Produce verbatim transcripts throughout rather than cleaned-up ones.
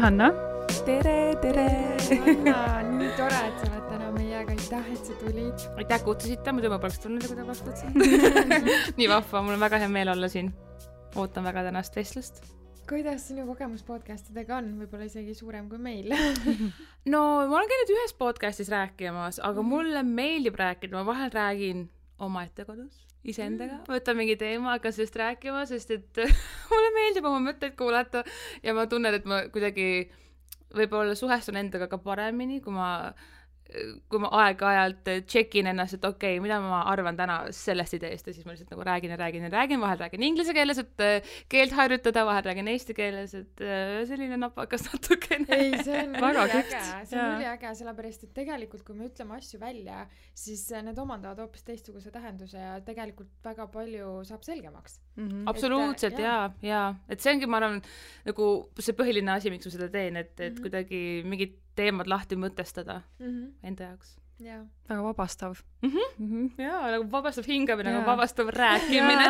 Hanna. Tere, tere. Hanna, nii tore, et sa oled täna meiega. Aitäh, et sa tulid. Aitäh kutsusite, muidu ma poleks tulnud, kui te vastutasid. Nii vahva, mul on väga hea meel olla siin. Ootan väga tänast vestlust. Kuidas sinu kogemus podcastidega on? Võib-olla isegi suurem kui meil. No, ma olen käinud ühes podcastis rääkimas, aga mulle meeldib rääkida. Ma vahel räägin oma ette kodus, iseendaga. Võtan mingi teema, hakkan sellest rääkima, sest et mulle meeldib oma mõtteid kuulata ja ma tunnen, et ma kuidagi võib-olla suhestun endaga ka paremini, kui ma kui ma aeg-ajalt tšekin ennast, et okei, okay, mida ma arvan täna sellest ideest ja siis ma lihtsalt nagu räägin ja räägin ja räägin, vahel räägin inglise keeles, et keelt harjutada, vahel räägin eesti keeles, et selline napakas natukene. Ei, see on väga äge, see on üli äge, sellepärast, et tegelikult kui me ütleme asju välja, siis need omandavad hoopis teistsuguse tähenduse ja tegelikult väga palju saab selgemaks. Mm-hmm. Absoluutselt, et, jaa, jaa. Et see ongi, ma arvan, nagu see põhiline asi, miks ma seda teen, et, et mm-hmm. kuidagi mingid teemad lahti mõtestada mm-hmm. enda jaoks. Ja. Väga vabastav. Mm-hmm. Mm-hmm. Jaa, nagu vabastav hingamine, nagu vabastav rääkimine.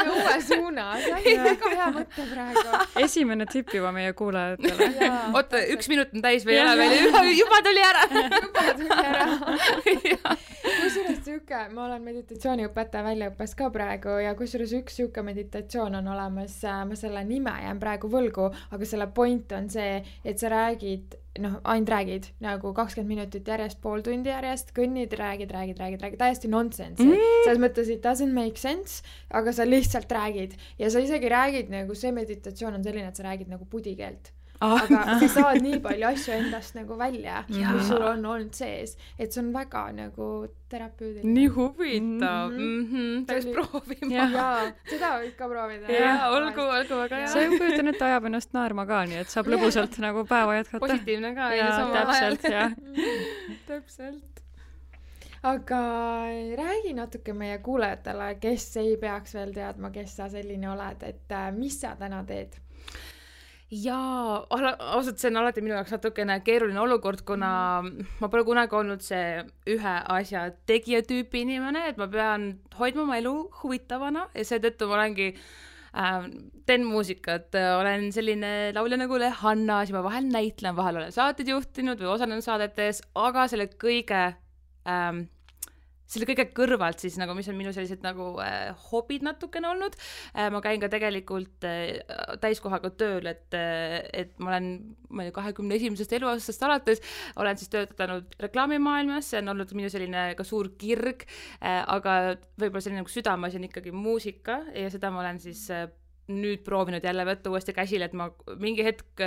Uue suuna, see on väga hea mõte praegu. Esimene tipp juba meie kuulajatele. Oota, üks minut on täis või ei ole veel, juba, juba tuli ära. Juba tuli ära. Kusjuures süke, ma olen meditatsiooniõpetaja väljaõppes ka praegu ja kusjuures üks süke meditatsioon on olemas, ma selle nime jään praegu võlgu, aga selle point on see, et sa räägid noh, ainult räägid nagu kakskümmend minutit järjest, pool tundi järjest, kõnnid, räägid, räägid, räägid, räägid, täiesti nonsense. Mm. Selles mõttes, it doesn't make sense, aga sa lihtsalt räägid ja sa isegi räägid nagu see meditatsioon on selline, et sa räägid nagu pudikeelt. Ah. Aga sa saad nii palju asju endast nagu välja, mis sul on olnud sees, et see on väga nagu terapeudiline. Nii huvitav. Mm-hmm. Peaks proovima. Jaa, seda võib ka proovida. Jaa, olgu, olgu väga hea. See on kujutan, et ajab ennast naerma ka, nii et saab lõbusalt nagu päeva jätkata. Positiivne ka. Jaa, täpselt, jah. Täpselt. Aga räägi natuke meie kuulajatele, kes ei peaks veel teadma, kes sa selline oled, et mis sa täna teed? Jaa, ausalt, see on alati minu jaoks natukene keeruline olukord, kuna ma pole kunagi olnud see ühe asja tegija tüüpi inimene, et ma pean hoidma oma elu huvitavana ja seetõttu ma olengi äh, teen muusikat, olen selline laulja nagu Le Hanna, siis ma vahel näitlen, vahel olen saated juhtinud või osalenud saadetes, aga selle kõige ähm, selle kõige kõrvalt siis nagu, mis on minu sellised nagu äh, hobid natukene olnud. Äh, ma käin ka tegelikult äh, täiskohaga tööl, et, äh, et ma olen ma ei tea, kahekümne esimesest eluaastast alates, olen siis töötanud reklaamimaailmas, see on olnud minu selline ka suur kirg, äh, aga võib-olla selline nagu südames on ikkagi muusika ja seda ma olen siis äh, nüüd proovinud jälle võtta uuesti käsile, et ma mingi hetk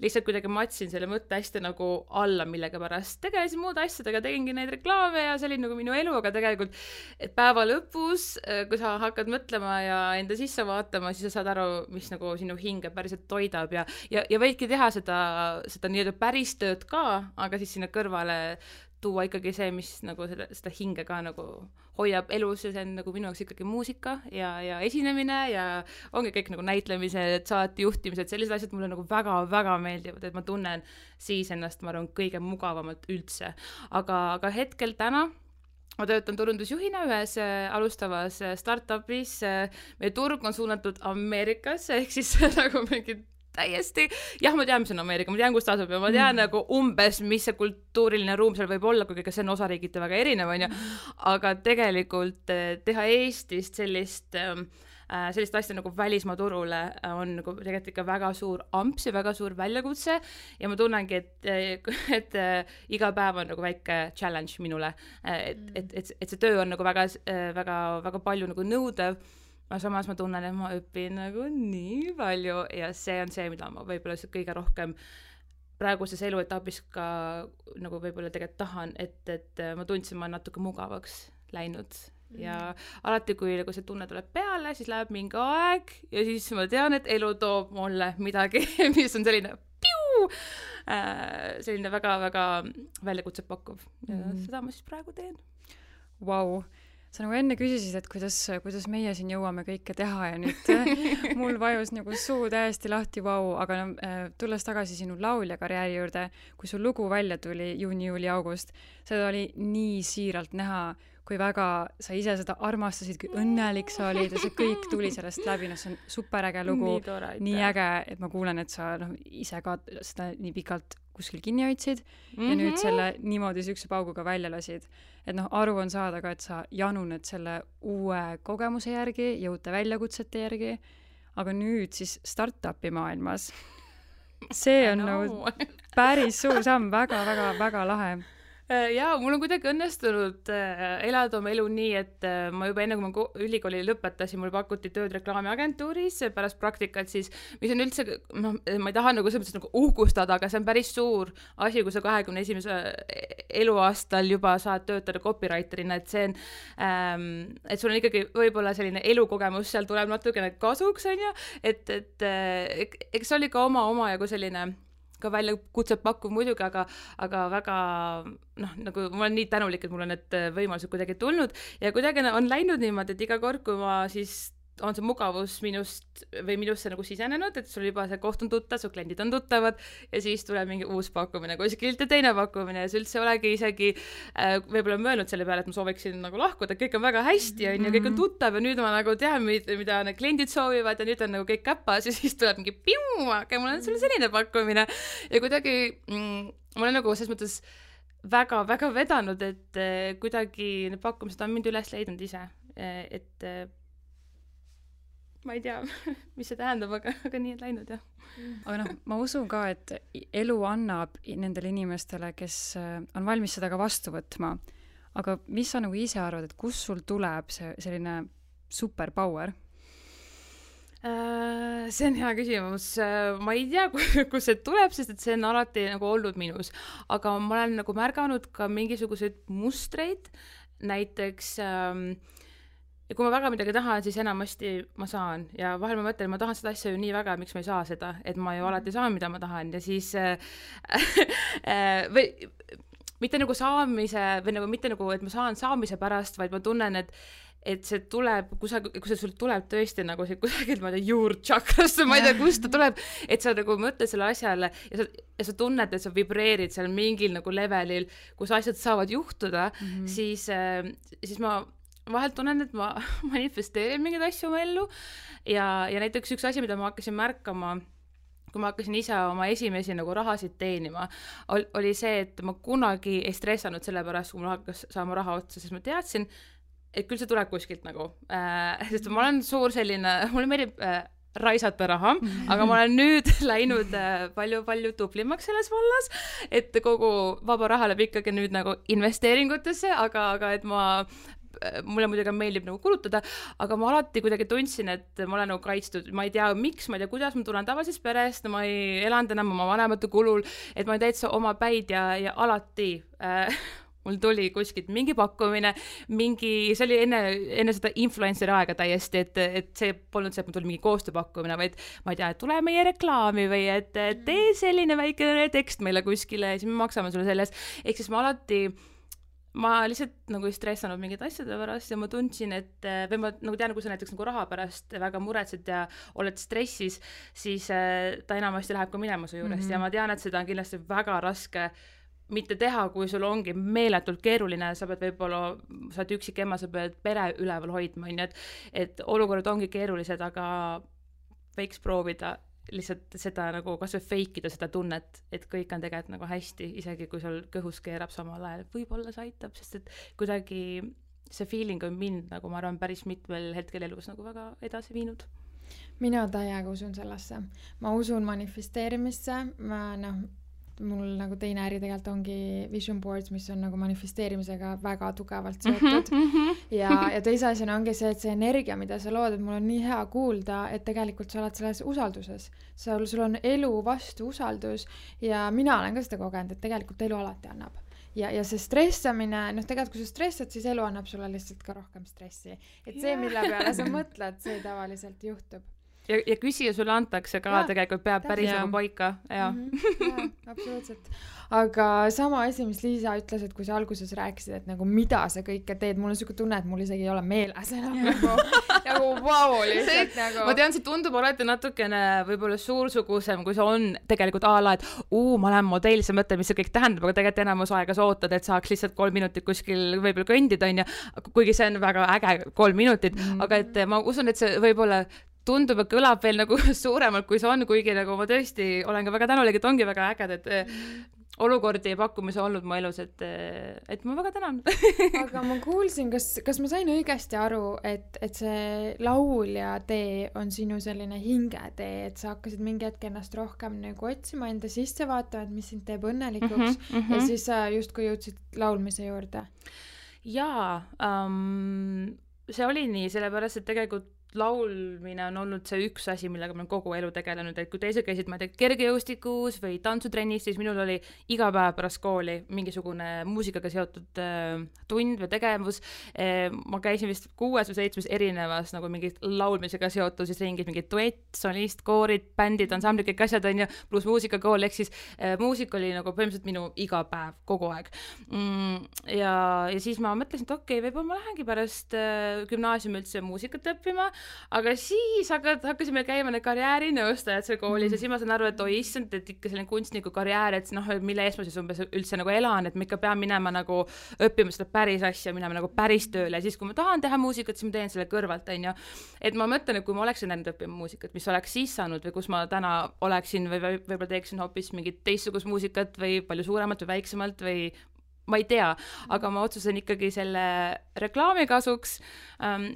lihtsalt kuidagi matsin selle mõtte hästi nagu alla, millega pärast tegelesin muude asjadega, tegingi neid reklaame ja see oli nagu minu elu, aga tegelikult, et päeva lõpus, kui sa hakkad mõtlema ja enda sisse vaatama, siis sa saad aru, mis nagu sinu hinge päriselt toidab ja, ja, ja võidki teha seda, seda nii-öelda päris tööd ka, aga siis sinna kõrvale tuua ikkagi see, mis nagu seda, seda hinge ka nagu hoiab elus ja see on nagu minu jaoks ikkagi muusika ja, ja esinemine ja ongi kõik nagu näitlemised, saate juhtimised, sellised asjad mulle nagu väga-väga meeldivad, et ma tunnen siis ennast, ma arvan, kõige mugavamalt üldse. Aga, aga hetkel täna ma töötan turundusjuhina ühes alustavas startupis, meie turg on suunatud Ameerikas, ehk siis nagu mingi täiesti, jah, ma tean, mis on Ameerika, ma tean, kus ta asub ja ma tean mm. nagu umbes, mis see kultuuriline ruum seal võib olla, kuigi see on osariigiti väga erinev, on ju, aga tegelikult teha Eestist sellist, sellist asja nagu välismaa turule on nagu tegelikult ikka väga suur amps ja väga suur väljakutse ja ma tunnengi, et, et iga päev on nagu väike challenge minule, et, et, et, et see töö on nagu väga, väga, väga palju nagu nõudev. Aga samas ma tunnen, et ma õpin nagu nii palju ja see on see, mida ma võib-olla kõige rohkem praeguses eluetapis ka nagu võib-olla tegelikult tahan, et, et ma tundsin, ma natuke mugavaks läinud mm. ja alati, kui nagu see tunne tuleb peale, siis läheb mingi aeg ja siis ma tean, et elu toob mulle midagi, mis on selline piu, äh, selline väga-väga väljakutse pakkuv ja mm. seda ma siis praegu teen. Vau. sa nagu enne küsisid, et kuidas, kuidas meie siin jõuame kõike teha ja nüüd mul vajus nagu suu täiesti lahti, vau, aga no, tulles tagasi sinu laulja karjääri juurde, kui su lugu välja tuli juuni, juuli, august, seda oli nii siiralt näha, kui väga sa ise seda armastasid, kui õnnelik sa olid ja see kõik tuli sellest läbi, no see on superäge lugu, nii, tore, nii äge, et ma kuulen, et sa no, ise ka seda nii pikalt kuskil kinni hoidsid mm-hmm. ja nüüd selle niimoodi sükse pauguga välja lasid. Et noh, aru on saada ka, et sa januned selle uue kogemuse järgi, jõute väljakutsete järgi, aga nüüd siis startupi maailmas. See on nagu päris suur samm, väga, väga, väga lahe. Jaa, mul on kuidagi õnnestunud elada oma elu nii, et ma juba enne, kui ma ülikooli lõpetasin, mul pakuti tööd reklaamiagentuuris pärast praktikat siis, mis on üldse, no, ma ei taha nagu selles mõttes nagu uhkustada, aga see on päris suur asi, kui sa kahekümne esimese eluaastal juba saad töötada copywriterina, et see on, ähm, et sul on ikkagi võib-olla selline elukogemus, seal tuleb natukene kasuks, on ju, et, et eks oli ka oma, oma jagu selline ka välja kutset pakkuv muidugi, aga, aga väga, noh, nagu ma olen nii tänulik, et mul on need võimalused kuidagi tulnud ja kuidagi on läinud niimoodi, et iga kord, kui ma siis on see mugavus minust või minusse nagu sisenenud, et sul juba see koht on tuttav, su kliendid on tuttavad ja siis tuleb mingi uus pakkumine kuskilt ja teine pakkumine ja see üldse olegi isegi äh, võib-olla mõelnud selle peale, et ma sooviksin nagu lahkuda, kõik on väga hästi ja mm-hmm. kõik on tuttav ja nüüd ma nagu tean, mida need kliendid soovivad ja nüüd on nagu kõik käpas ja siis tuleb mingi piu, aga mul on sulle selline pakkumine ja kuidagi mm, ma olen nagu selles mõttes väga-väga vedanud, et äh, kuidagi need pakkumised on mind üles leidnud ise, et äh, ma ei tea, mis see tähendab, aga, aga nii on läinud, jah. Aga noh, ma usun ka, et elu annab nendele inimestele, kes on valmis seda ka vastu võtma. Aga mis sa nagu ise arvad, et kus sul tuleb see selline superpower? Uh, see on hea küsimus. Uh, ma ei tea, kus see tuleb, sest et see on alati nagu olnud minus. Aga ma olen nagu märganud ka mingisuguseid mustreid, näiteks um, ja kui ma väga midagi tahan, siis enamasti ma saan ja vahel ma mõtlen, ma tahan seda asja ju nii väga, miks ma ei saa seda, et ma ju alati saan, mida ma tahan ja siis äh, või mitte nagu saamise või nagu mitte nagu, et ma saan saamise pärast, vaid ma tunnen, et et see tuleb, kui, sa, kui see sul tuleb tõesti nagu see kusagilt, ma ei tea, juurtšakrast, ma ei tea, kust ta tuleb, et sa nagu mõtled selle asjale ja sa, ja sa tunned, et sa vibreerid seal mingil nagu levelil, kus asjad saavad juhtuda, mm-hmm. siis, äh, siis ma vahelt tunnen, et ma manifesteerin mingeid asju oma ellu ja, ja näiteks üks asi, mida ma hakkasin märkama, kui ma hakkasin ise oma esimesi nagu rahasid teenima, oli see, et ma kunagi ei stressanud selle pärast, kui mul hakkas saama raha otsa, sest ma teadsin, et küll see tuleb kuskilt nagu, äh, sest ma olen suur selline, mulle meeldib äh, raisata raha, aga ma olen nüüd läinud palju-palju tuplimaks selles vallas, et kogu vaba raha läheb ikkagi nüüd nagu investeeringutesse, aga, aga et ma mulle muidugi meeldib nagu kulutada, aga ma alati kuidagi tundsin, et ma olen nagu kaitstud, ma ei tea miks, ma ei tea kuidas, ma tulen tavalisest perest, ma ei elanud enam oma vanemate kulul, et ma olen täitsa oma päid ja, ja alati äh, mul tuli kuskilt mingi pakkumine, mingi, see oli enne, enne seda influenceri aega täiesti, et, et see polnud see, et mul tuli mingi koostööpakkumine, vaid ma ei tea, et tule meie reklaami või et tee selline väike tekst meile kuskile ja siis me maksame sulle sellest, ehk siis ma alati ma lihtsalt nagu ei stressanud mingid asjade pärast ja ma tundsin, et või ma nagu tean, kui sa näiteks nagu raha pärast väga muretsed ja oled stressis, siis ta enamasti läheb ka minema su juurest mm-hmm. ja ma tean, et seda on kindlasti väga raske mitte teha, kui sul ongi meeletult keeruline, sa pead võib-olla, sa oled üksik ema, sa pead pere üleval hoidma, et, et olukorrad ongi keerulised, aga võiks proovida lihtsalt seda nagu kas või feikida seda tunnet, et kõik on tegelikult nagu hästi, isegi kui sul kõhus keerab samal ajal, võib-olla see aitab, sest et kuidagi see feeling on mind nagu ma arvan päris mitmel hetkel elus nagu väga edasi viinud. Mina täiega usun sellesse. Ma usun manifesteerimisse, ma noh, mul nagu teine äri tegelikult ongi vision boards, mis on nagu manifesteerimisega väga tugevalt seotud mm-hmm. ja, ja teise asjana ongi see, et see energia, mida sa lood, et mul on nii hea kuulda, et tegelikult sa oled selles usalduses. Sul, sul on elu vastu usaldus ja mina olen ka seda kogenud, et tegelikult elu alati annab. Ja, ja see stressamine, noh tegelikult kui sa stressad, siis elu annab sulle lihtsalt ka rohkem stressi. Et see, mille peale sa mõtled, see tavaliselt juhtub. ja, ja küsija sulle antakse ka ja, tegelikult peab päris nagu paika ja. Mm-hmm, ja absoluutselt. Aga sama asi, mis Liisa ütles, et kui sa alguses rääkisid, et nagu mida sa kõike teed, mul on siuke tunne, et mul isegi ei ole meeles enam nagu, nagu vau lihtsalt see, nagu. Ma tean, see tundub alati natukene võib-olla suursugusem, kui see on tegelikult a la, et uu, ma olen modell, sa mõtled, mis see kõik tähendab, aga tegelikult enamus aega sa ootad, et saaks lihtsalt kolm minutit kuskil võib-olla kõndida, on ja, kuigi see on väga äge kolm minutit, mm. aga et ma usun, et see võib-olla tundub, et kõlab veel nagu suuremalt, kui see on, kuigi nagu ma tõesti olen ka väga tänulik, et ongi väga äged, et mm. olukordi ja pakkumisi olnud mu elus, et, et ma väga tänan. Aga ma kuulsin, kas, kas ma sain õigesti aru, et, et see laulja tee on sinu selline hingetee, et sa hakkasid mingi hetk ennast rohkem nagu otsima, enda sisse vaatama, et mis sind teeb õnnelikuks mm-hmm, mm-hmm. ja siis sa justkui jõudsid laulmise juurde. Jaa, um, see oli nii, sellepärast, et tegelikult laulmine on olnud see üks asi, millega ma olen kogu elu tegelenud, et kui teised käisid, ma ei tea, kergejõustikus või tantsutrennis, siis minul oli iga päev pärast kooli mingisugune muusikaga seotud äh, tund või tegevus. Äh, ma käisin vist kuues või seitsmes erinevas nagu mingid laulmisega seotud siis ringid, mingid duett, solist, koorid, bändid, ansamblid, kõik asjad on ju, pluss muusikakool, ehk siis äh, muusika oli nagu põhimõtteliselt minu iga päev, kogu aeg. Mm, ja, ja siis ma mõtlesin, et okei, okay, võib-olla ma lähengi pärast äh, gümnaasiumi üldse muusikat õppima, aga siis hakkad, hakkasime käima need karjäärinõustajad seal koolis mm. ja siis ma saan aru, et oi issand, et ikka selline kunstniku karjäär, et noh, mille eest ma siis umbes üldse nagu elan, et ma ikka pean minema nagu õppima seda päris asja, minema nagu päris tööle ja siis, kui ma tahan teha muusikat, siis ma teen selle kõrvalt, on ju. Et ma mõtlen, et kui ma oleksin läinud õppima muusikat, mis oleks siis saanud või kus ma täna oleksin või võib-olla teeksin hoopis mingit teistsugust muusikat või palju suuremalt või väiksemalt või ma ei tea, aga ma otsusen ikkagi selle reklaami kasuks,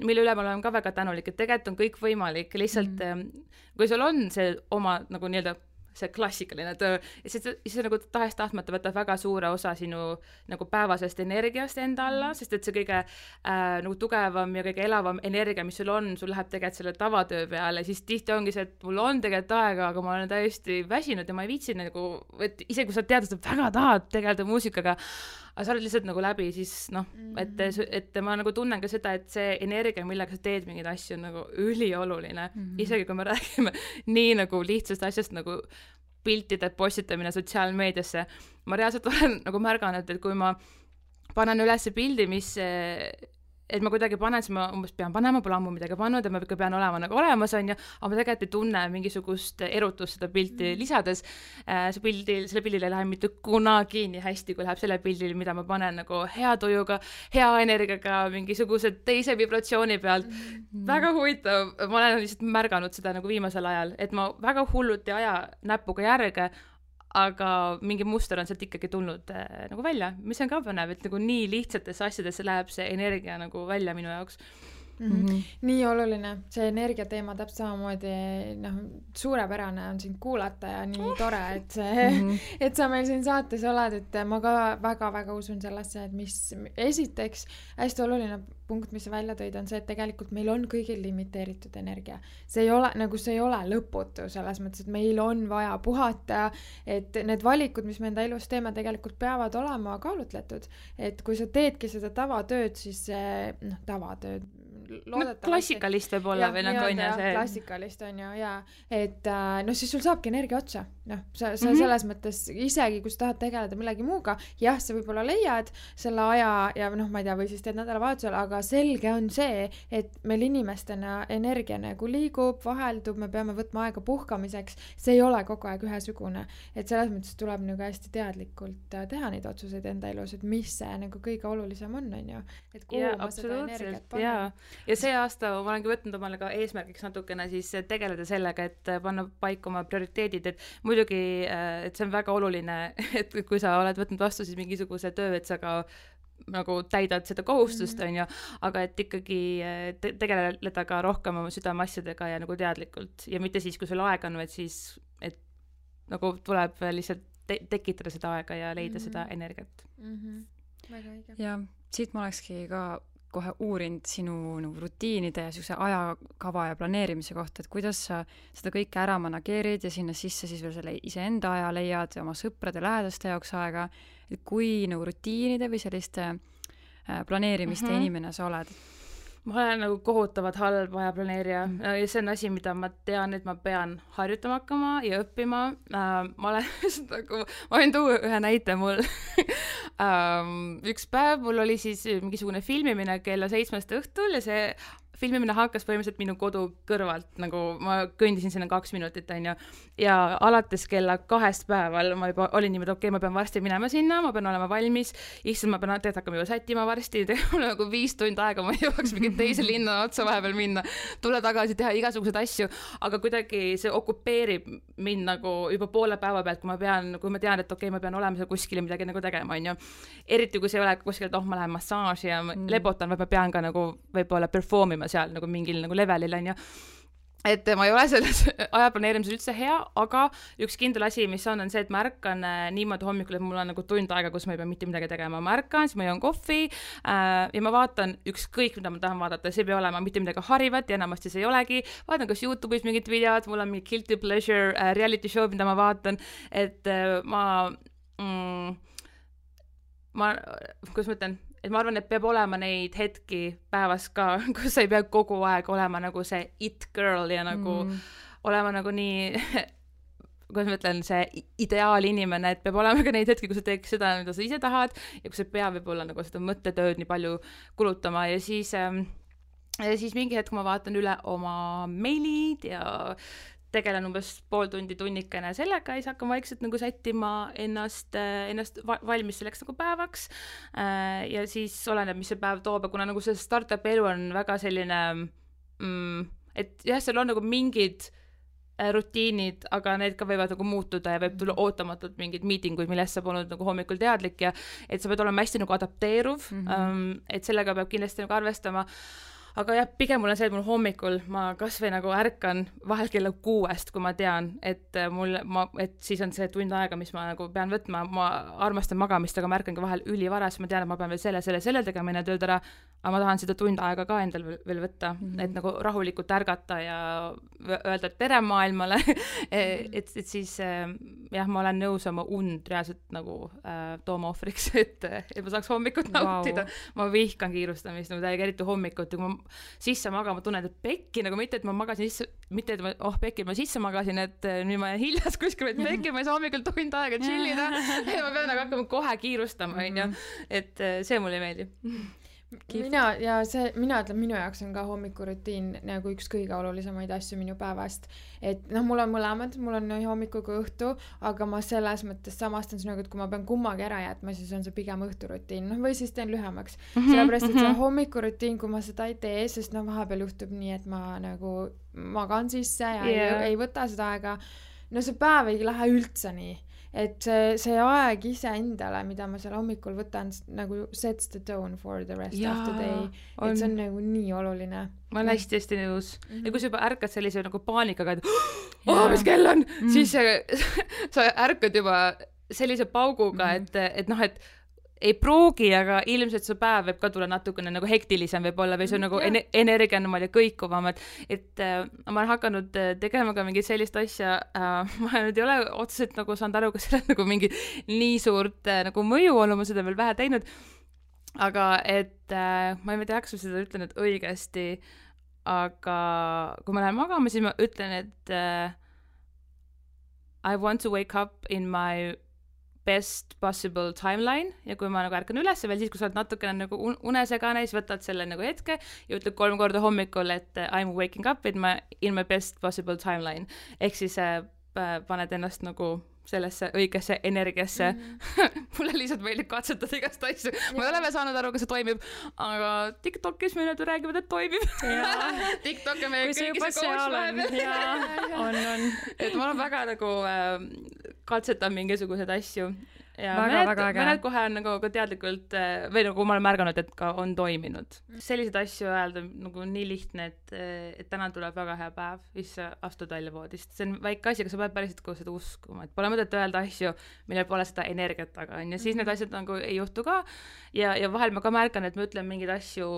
mille üle ma olen ka väga tänulik, et tegelikult on kõik võimalik, lihtsalt mm. kui sul on see oma nagu nii-öelda see klassikaline töö, siis see nagu tahes-tahtmata võtab väga suure osa sinu nagu päevasest energiast enda alla, sest et see kõige äh, nagu tugevam ja kõige elavam energia, mis sul on, sul läheb tegelikult selle tavatöö peale, siis tihti ongi see, et mul on tegelikult aega, aga ma olen täiesti väsinud ja ma ei viitsi nagu, et isegi kui sa tead, et väga tahad tegeleda muusikaga, aga sa oled lihtsalt nagu läbi, siis noh, et, et ma nagu tunnen ka seda, et see energia, millega sa teed mingeid asju, on nagu ülioluline. Mm-hmm. Isegi kui me räägime nii nagu lihtsast asjast nagu piltide postitamine sotsiaalmeediasse. Ma reaalselt olen nagu märganud, et kui ma panen üles pildi, mis et ma kuidagi panen, siis ma umbes pean panema, pole ammu midagi pannud ja ma ikka pean olema nagu olemas, on ju, aga ma tegelikult ei tunne mingisugust erutust seda pilti lisades. See pildil, selle pildil ei lähe mitte kunagi nii hästi, kui läheb selle pildil, mida ma panen nagu hea tujuga, hea energiaga, mingisuguse teise vibratsiooni pealt. Mm. Väga huvitav, ma olen lihtsalt märganud seda nagu viimasel ajal, et ma väga hullult ei aja näpuga järge, aga mingi muster on sealt ikkagi tulnud äh, nagu välja, mis on ka põnev, et nagu nii lihtsatesse asjadesse läheb see energia nagu välja minu jaoks. Mm-hmm. nii oluline, see energia teema täpselt samamoodi, noh, suurepärane on sind kuulata ja nii uh. tore, et see mm-hmm. et sa meil siin saates oled, et ma ka väga-väga usun sellesse, et mis esiteks hästi oluline punkt, mis sa välja tõid, on see, et tegelikult meil on kõigil limiteeritud energia. See ei ole, nagu see ei ole lõputu selles mõttes, et meil on vaja puhata, et need valikud, mis me enda elus teeme, tegelikult peavad olema kaalutletud, et kui sa teedki seda tavatööd, siis noh, tavatööd no, klassikalist võib olla või nagu on ja see klassikalist on ju, jaa, et noh, siis sul saabki energia otsa, noh, sa, sa mm-hmm. selles mõttes isegi, kui sa tahad tegeleda millegi muuga, jah, sa võib-olla leiad selle aja ja noh, ma ei tea, või siis teed nädalavahetusel, aga selge on see, et meil inimestena energia nagu liigub, vaheldub, me peame võtma aega puhkamiseks, see ei ole kogu aeg ühesugune, et selles mõttes tuleb nagu hästi teadlikult teha neid otsuseid enda elus, et mis see nagu kõige olulisem on, on ju, et kuhu ja, ma seda energiat panen. Ja. ja see aasta ma olengi võtnud omale ka eesmärgiks natukene siis tegeleda sellega, et panna paika oma prioriteedid, et muidugi, et see on väga oluline, et kui sa oled võtnud vastu siis mingisuguse töö, et sa ka nagu täidad seda kohustust, mm-hmm. on ju, aga et ikkagi te- tegeleda ka rohkem oma südameasjadega ja nagu teadlikult ja mitte siis, kui sul aeg on, vaid siis, et nagu tuleb lihtsalt te- tekitada seda aega ja leida mm-hmm. seda energiat. Mm-hmm. Väga õige. Ja siit ma olekski ka kohe uurinud sinu nagu rutiinide ja siukse ajakava ja planeerimise kohta, et kuidas sa seda kõike ära manageerid ja sinna sisse siis veel selle iseenda aja leiad ja oma sõprade lähedaste jaoks aega, et kui nagu rutiinide või selliste äh, planeerimiste mm-hmm. inimene sa oled? ma olen nagu kohutavalt halb ajaplaneerija mm. ja see on asi, mida ma tean, et ma pean harjutama hakkama ja õppima. Uh, ma olen nagu, ma võin tuua ühe näite mul um, üks päev mul oli siis mingisugune filmimine kella seitsmest õhtul ja see filmimine hakkas põhimõtteliselt minu kodu kõrvalt, nagu ma kõndisin sinna kaks minutit, on ju, ja alates kella kahest päeval ma juba olin niimoodi, okei okay,, ma pean varsti minema sinna, ma pean olema valmis, issand, ma pean tegelikult hakkama juba sättima varsti, mul on nagu viis tundi aega, ma jõuaks mingi teise linna otsa vahepeal minna, tulla tagasi, teha igasuguseid asju, aga kuidagi see okupeerib mind nagu juba poole päeva pealt, kui ma pean, kui ma tean, et okei okay,, ma pean olema seal kuskil ja midagi nagu tegema, on ju. Eriti kui see ei ole kuskil, et oh, ma lähen massaaži ja mm. lebotan, või ma pean ka nagu võib-olla performima seal nagu mingil nagu levelil, on ju. Et ma ei ole selles ajaplaneerimises üldse hea, aga üks kindel asi, mis on, on see, et ma ärkan niimoodi hommikul, et mul on nagu tund aega, kus ma ei pea mitte midagi tegema. Ma ärkan, siis ma joon kohvi äh, ja ma vaatan ükskõik, mida ma tahan vaadata. See ei pea olema mitte midagi harivat ja enamasti see ei olegi. Vaatan kas YouTube'is mingid videod, mul on mingi guilty pleasure äh, reality show, mida ma vaatan, et äh, ma mm, ma, kuidas ma ütlen, et ma arvan, et peab olema neid hetki päevas ka, kus sa ei pea kogu aeg olema nagu see it girl ja nagu mm. olema nagu nii, kuidas ma ütlen, see ideaalinimene, et peab olema ka neid hetki, kus sa teeks seda, mida sa ise tahad ja kus sa ei pea võib-olla nagu seda mõttetööd nii palju kulutama ja siis, ja siis mingi hetk ma vaatan üle oma meilid ja tegelen umbes pool tundi tunnikene sellega ja siis hakkan vaikselt nagu sättima ennast, ennast valmis selleks nagu päevaks ja siis oleneb, mis see päev toob ja kuna nagu see startup elu on väga selline mm, et jah, seal on nagu mingid rutiinid, aga need ka võivad nagu muutuda ja võib tulla ootamatult mingid miitinguid, millest sa polnud nagu hommikul teadlik ja et sa pead olema hästi nagu adapteeruv mm-hmm. et sellega peab kindlasti nagu arvestama. Aga jah, pigem mul on see, et mul hommikul ma kas või nagu ärkan vahel kella kuuest, kui ma tean, et mul, ma, et siis on see tund aega, mis ma nagu pean võtma, ma armastan magamist, aga ma ärkangi vahel ülivaras, ma tean, et ma pean veel selle, selle, selle tegema enne tööd ära, aga ma tahan seda tund aega ka endal veel, veel võtta, mm-hmm. et nagu rahulikult ärgata ja öelda tere maailmale, et, et siis jah, ma olen nõus oma und reaalselt nagu äh, tooma ohvriks, et, et ma saaks hommikut nautida. Wow. Ma vihkan kiirustamist, nagu täiega eriti hommikut, kui ma sisse magama tunnen, et pekki, nagu mitte, et ma magasin sisse, mitte, et ma, oh pekki, ma sisse magasin, et nüüd ma jään hiljas kuskil, et pekki, ma ei saa hommikul tund aega chillida, ja ma pean nagu hakkama kohe kiirustama, on ju, et see mulle ei meeldi. Keep. Mina, ja see, mina ütlen, minu jaoks on ka hommikurutiin nagu üks kõige olulisemaid asju minu päevast, et noh, mul on mõlemad, mul on nii hommiku kui õhtu, aga ma selles mõttes samastan sinuga, et kui ma pean kummagi ära jätma, siis on see pigem õhturutiin, noh, või siis teen lühemaks, mm-hmm, sellepärast, et see hommikurutiin, kui ma seda ei tee, sest noh, vahepeal juhtub nii, et ma nagu magan sisse ja yeah. ei, ei võta seda aega, no see päev ei lähe üldse nii. Et see, see aeg ise endale, mida ma seal hommikul võtan, nagu sets the tone for the rest ja, of the day. On... Et see on nagu nii oluline. Ma olen hästi-hästi nõus. Mm-hmm. Ja kui sa juba ärkad sellise nagu paanikaga, et oh, mis kell on, mm-hmm. siis sa ärkad juba sellise pauguga, mm-hmm. et, et noh, et ei pruugi, aga ilmselt su päev võib ka tulla natukene nagu hektilisem võib-olla või see on nagu en- energia on niimoodi kõikuvam, et, et äh, ma olen hakanud tegema ka mingit sellist asja, äh, ma nüüd ei ole otseselt nagu saanud aru, kas seal on nagu mingi nii suurt äh, nagu mõju olnud, ma seda veel vähe teinud, aga et äh, ma ei tea, kas ma seda ütlen, et õigesti, aga kui ma lähen magama, siis ma ütlen, et äh, I want to wake up in my best possible timeline ja kui ma nagu ärkan üles veel siis, kui sa oled natukene nagu unesegane, siis võtad selle nagu hetke ja ütled kolm korda hommikul, et I'm waking up in my, in my best possible timeline. Ehk siis äh, paned ennast nagu sellesse õigesse energiasse. Mm. Mulle lihtsalt meeldib katsetada igast asju. Ma ei ole veel saanud aru, kas see toimib, aga TikTokis me nüüd räägivad, et toimib. TikTok on meie kõigi see coach läheb. On, on. Et ma olen väga nagu äh, katsetan mingisugused asju. Ja väga, mõned, väga äge. Mõned kohe on nagu ka teadlikult, või nagu ma olen märganud, et ka on toiminud. Selliseid asju öelda nagu nii lihtne, et, et täna tuleb väga hea päev, siis astud välja voodist. See on väike asi, aga sa pead päriselt kogu seda uskuma, et pole mõtet öelda asju, millel pole seda energiat taga, on ja siis need asjad nagu ei juhtu ka. Ja, ja vahel ma ka märkan, et ma ütlen mingeid asju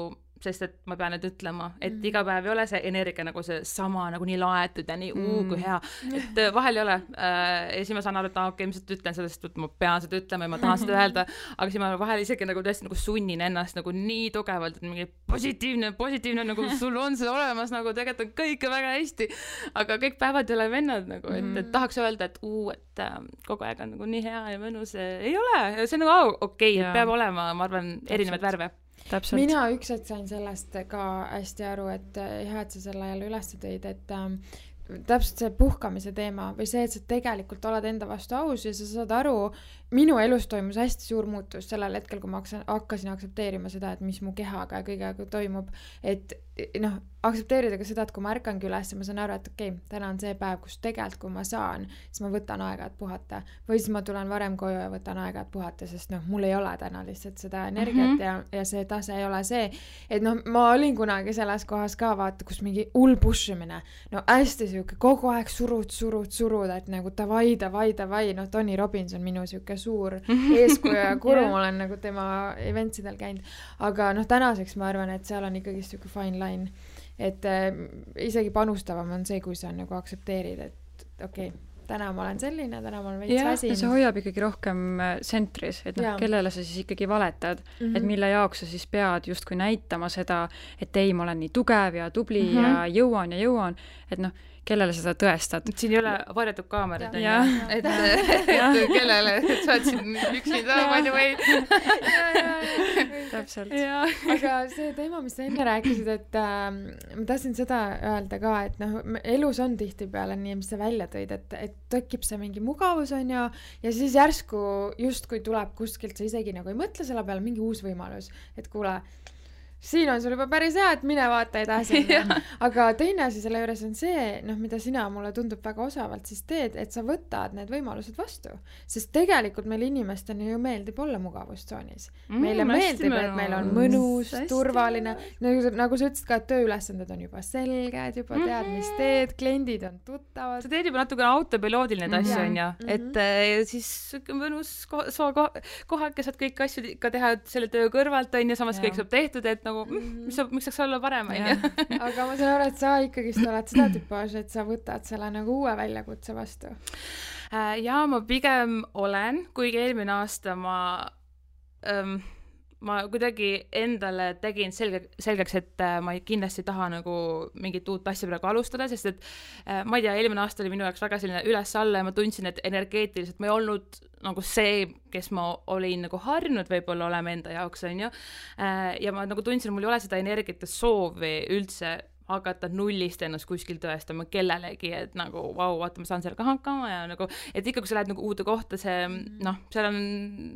sest et ma pean nüüd ütlema, et mm. iga päev ei ole see energia nagu see sama, nagu nii laetud ja nii mm. uu kui hea, et vahel ei ole äh, ja siis ma saan aru, et okei, okay, ma seda ütlen sellest, et ma pean seda ütlema ja ma tahan seda öelda, aga siis ma vahel isegi nagu tõesti nagu sunnin ennast nagu nii tugevalt, et mingi positiivne, positiivne, nagu sul on see olemas, nagu tegelikult on kõike väga hästi, aga kõik päevad ei ole vennad nagu, et, et tahaks öelda, et uu, et äh, kogu aeg on nagu nii hea ja mõnus, ei ole, see on nagu okei okay,, et peab olema, ma arvan, erinevaid värve. Täpselt. Mina üks hetk sain sellest ka hästi aru, et hea, et sa selle jälle üles tõid, et ähm, täpselt see puhkamise teema või see, et sa tegelikult oled enda vastu aus ja sa saad aru, minu elus toimus hästi suur muutus sellel hetkel, kui ma hakkasin aktsepteerima seda, et mis mu kehaga ja kõigega toimub, et noh, aktsepteerida ka seda, et kui ma ärkangi üles ja ma saan aru, et okei, okay, täna on see päev, kus tegelikult, kui ma saan, siis ma võtan aega, et puhata. Või siis ma tulen varem koju ja võtan aega, et puhata, sest noh, mul ei ole täna lihtsalt seda energiat mm -hmm. ja, ja see tase ei ole see. Et noh, ma olin kunagi selles kohas ka, vaata, kus mingi hull pushimine. No hästi siuke, kogu aeg surud, surud, surud, et nagu davai, davai, davai. No Tony Robbins on minu siuke suur eeskuju ja kuru, yeah. ma olen nagu tema eventsidel käinud. Aga noh, tänaseks ma arvan, et seal on ikkagi siuke fine line. Et äh, isegi panustavam on see, kui sa nagu aktsepteerid, et okei, okay, täna ma olen selline, täna ma olen veits väsin. Ja see hoiab ikkagi rohkem sentris, et noh, kellele sa siis ikkagi valetad, mm -hmm. et mille jaoks sa siis pead justkui näitama seda, et ei, ma olen nii tugev ja tubli mm -hmm. ja jõuan ja jõuan, et noh, kellele seda tõestad. Siin ei ole varjatud kaamerad, et, et kellele, et sa oled siin üksinda, by the way. Täpselt. Aga see teema, mis sa enne rääkisid, et äh, ma tahtsin seda öelda ka, et noh, elus on tihtipeale nii, mis sa välja tõid, et, et tekib see mingi mugavus on ja, ja siis järsku just kui tuleb kuskilt, sa isegi nagu ei mõtle selle peale, mingi uus võimalus, et kuule, siin on sul juba päris hea, et mine vaata edasi. Aga teine asi selle juures on see, noh, mida sina mulle tundub väga osavalt siis teed, et sa võtad need võimalused vastu. Sest tegelikult meil inimestena ju meeldib olla mugavustsoonis. Meile mm, meeldib, et meil on mõnus, hästi turvaline. Nagu, nagu sa ütlesid ka, et tööülesanded on juba selged, juba tead, mis teed, kliendid on tuttavad. Sa teed juba natuke autopiloodil need asju, on ja. Et mm-hmm. siis mõnus koha, koha, kes saad kõik asju ka teha selle töö kõrvalt, on ja samas ja. Kõik saab tehtud, et nagu mis, mis saaks olla parem, on ju. Aga ma saan aru, et sa ikkagi oled seda tüpaaž, et sa võtad selle nagu uue väljakutse vastu. Ja ma pigem olen, kuigi eelmine aasta ma, ähm, ma kuidagi endale tegin selge, selgeks, et ma kindlasti ei taha nagu mingit uut asja praegu alustada, sest et ma ei tea, eelmine aasta oli minu jaoks väga selline üles-alla ja ma tundsin, et energeetiliselt ma ei olnud nagu see, kes ma olin nagu harjunud võib-olla olema enda jaoks, on ju. Ja ma nagu tundsin, mul ei ole seda energiat ja soovi üldse hakata nullist ennast kuskil tõestama kellelegi, et nagu vau, wow, vaata, ma saan sellega hakkama ja nagu, et ikka, kui sa lähed nagu uude kohta, see noh, seal on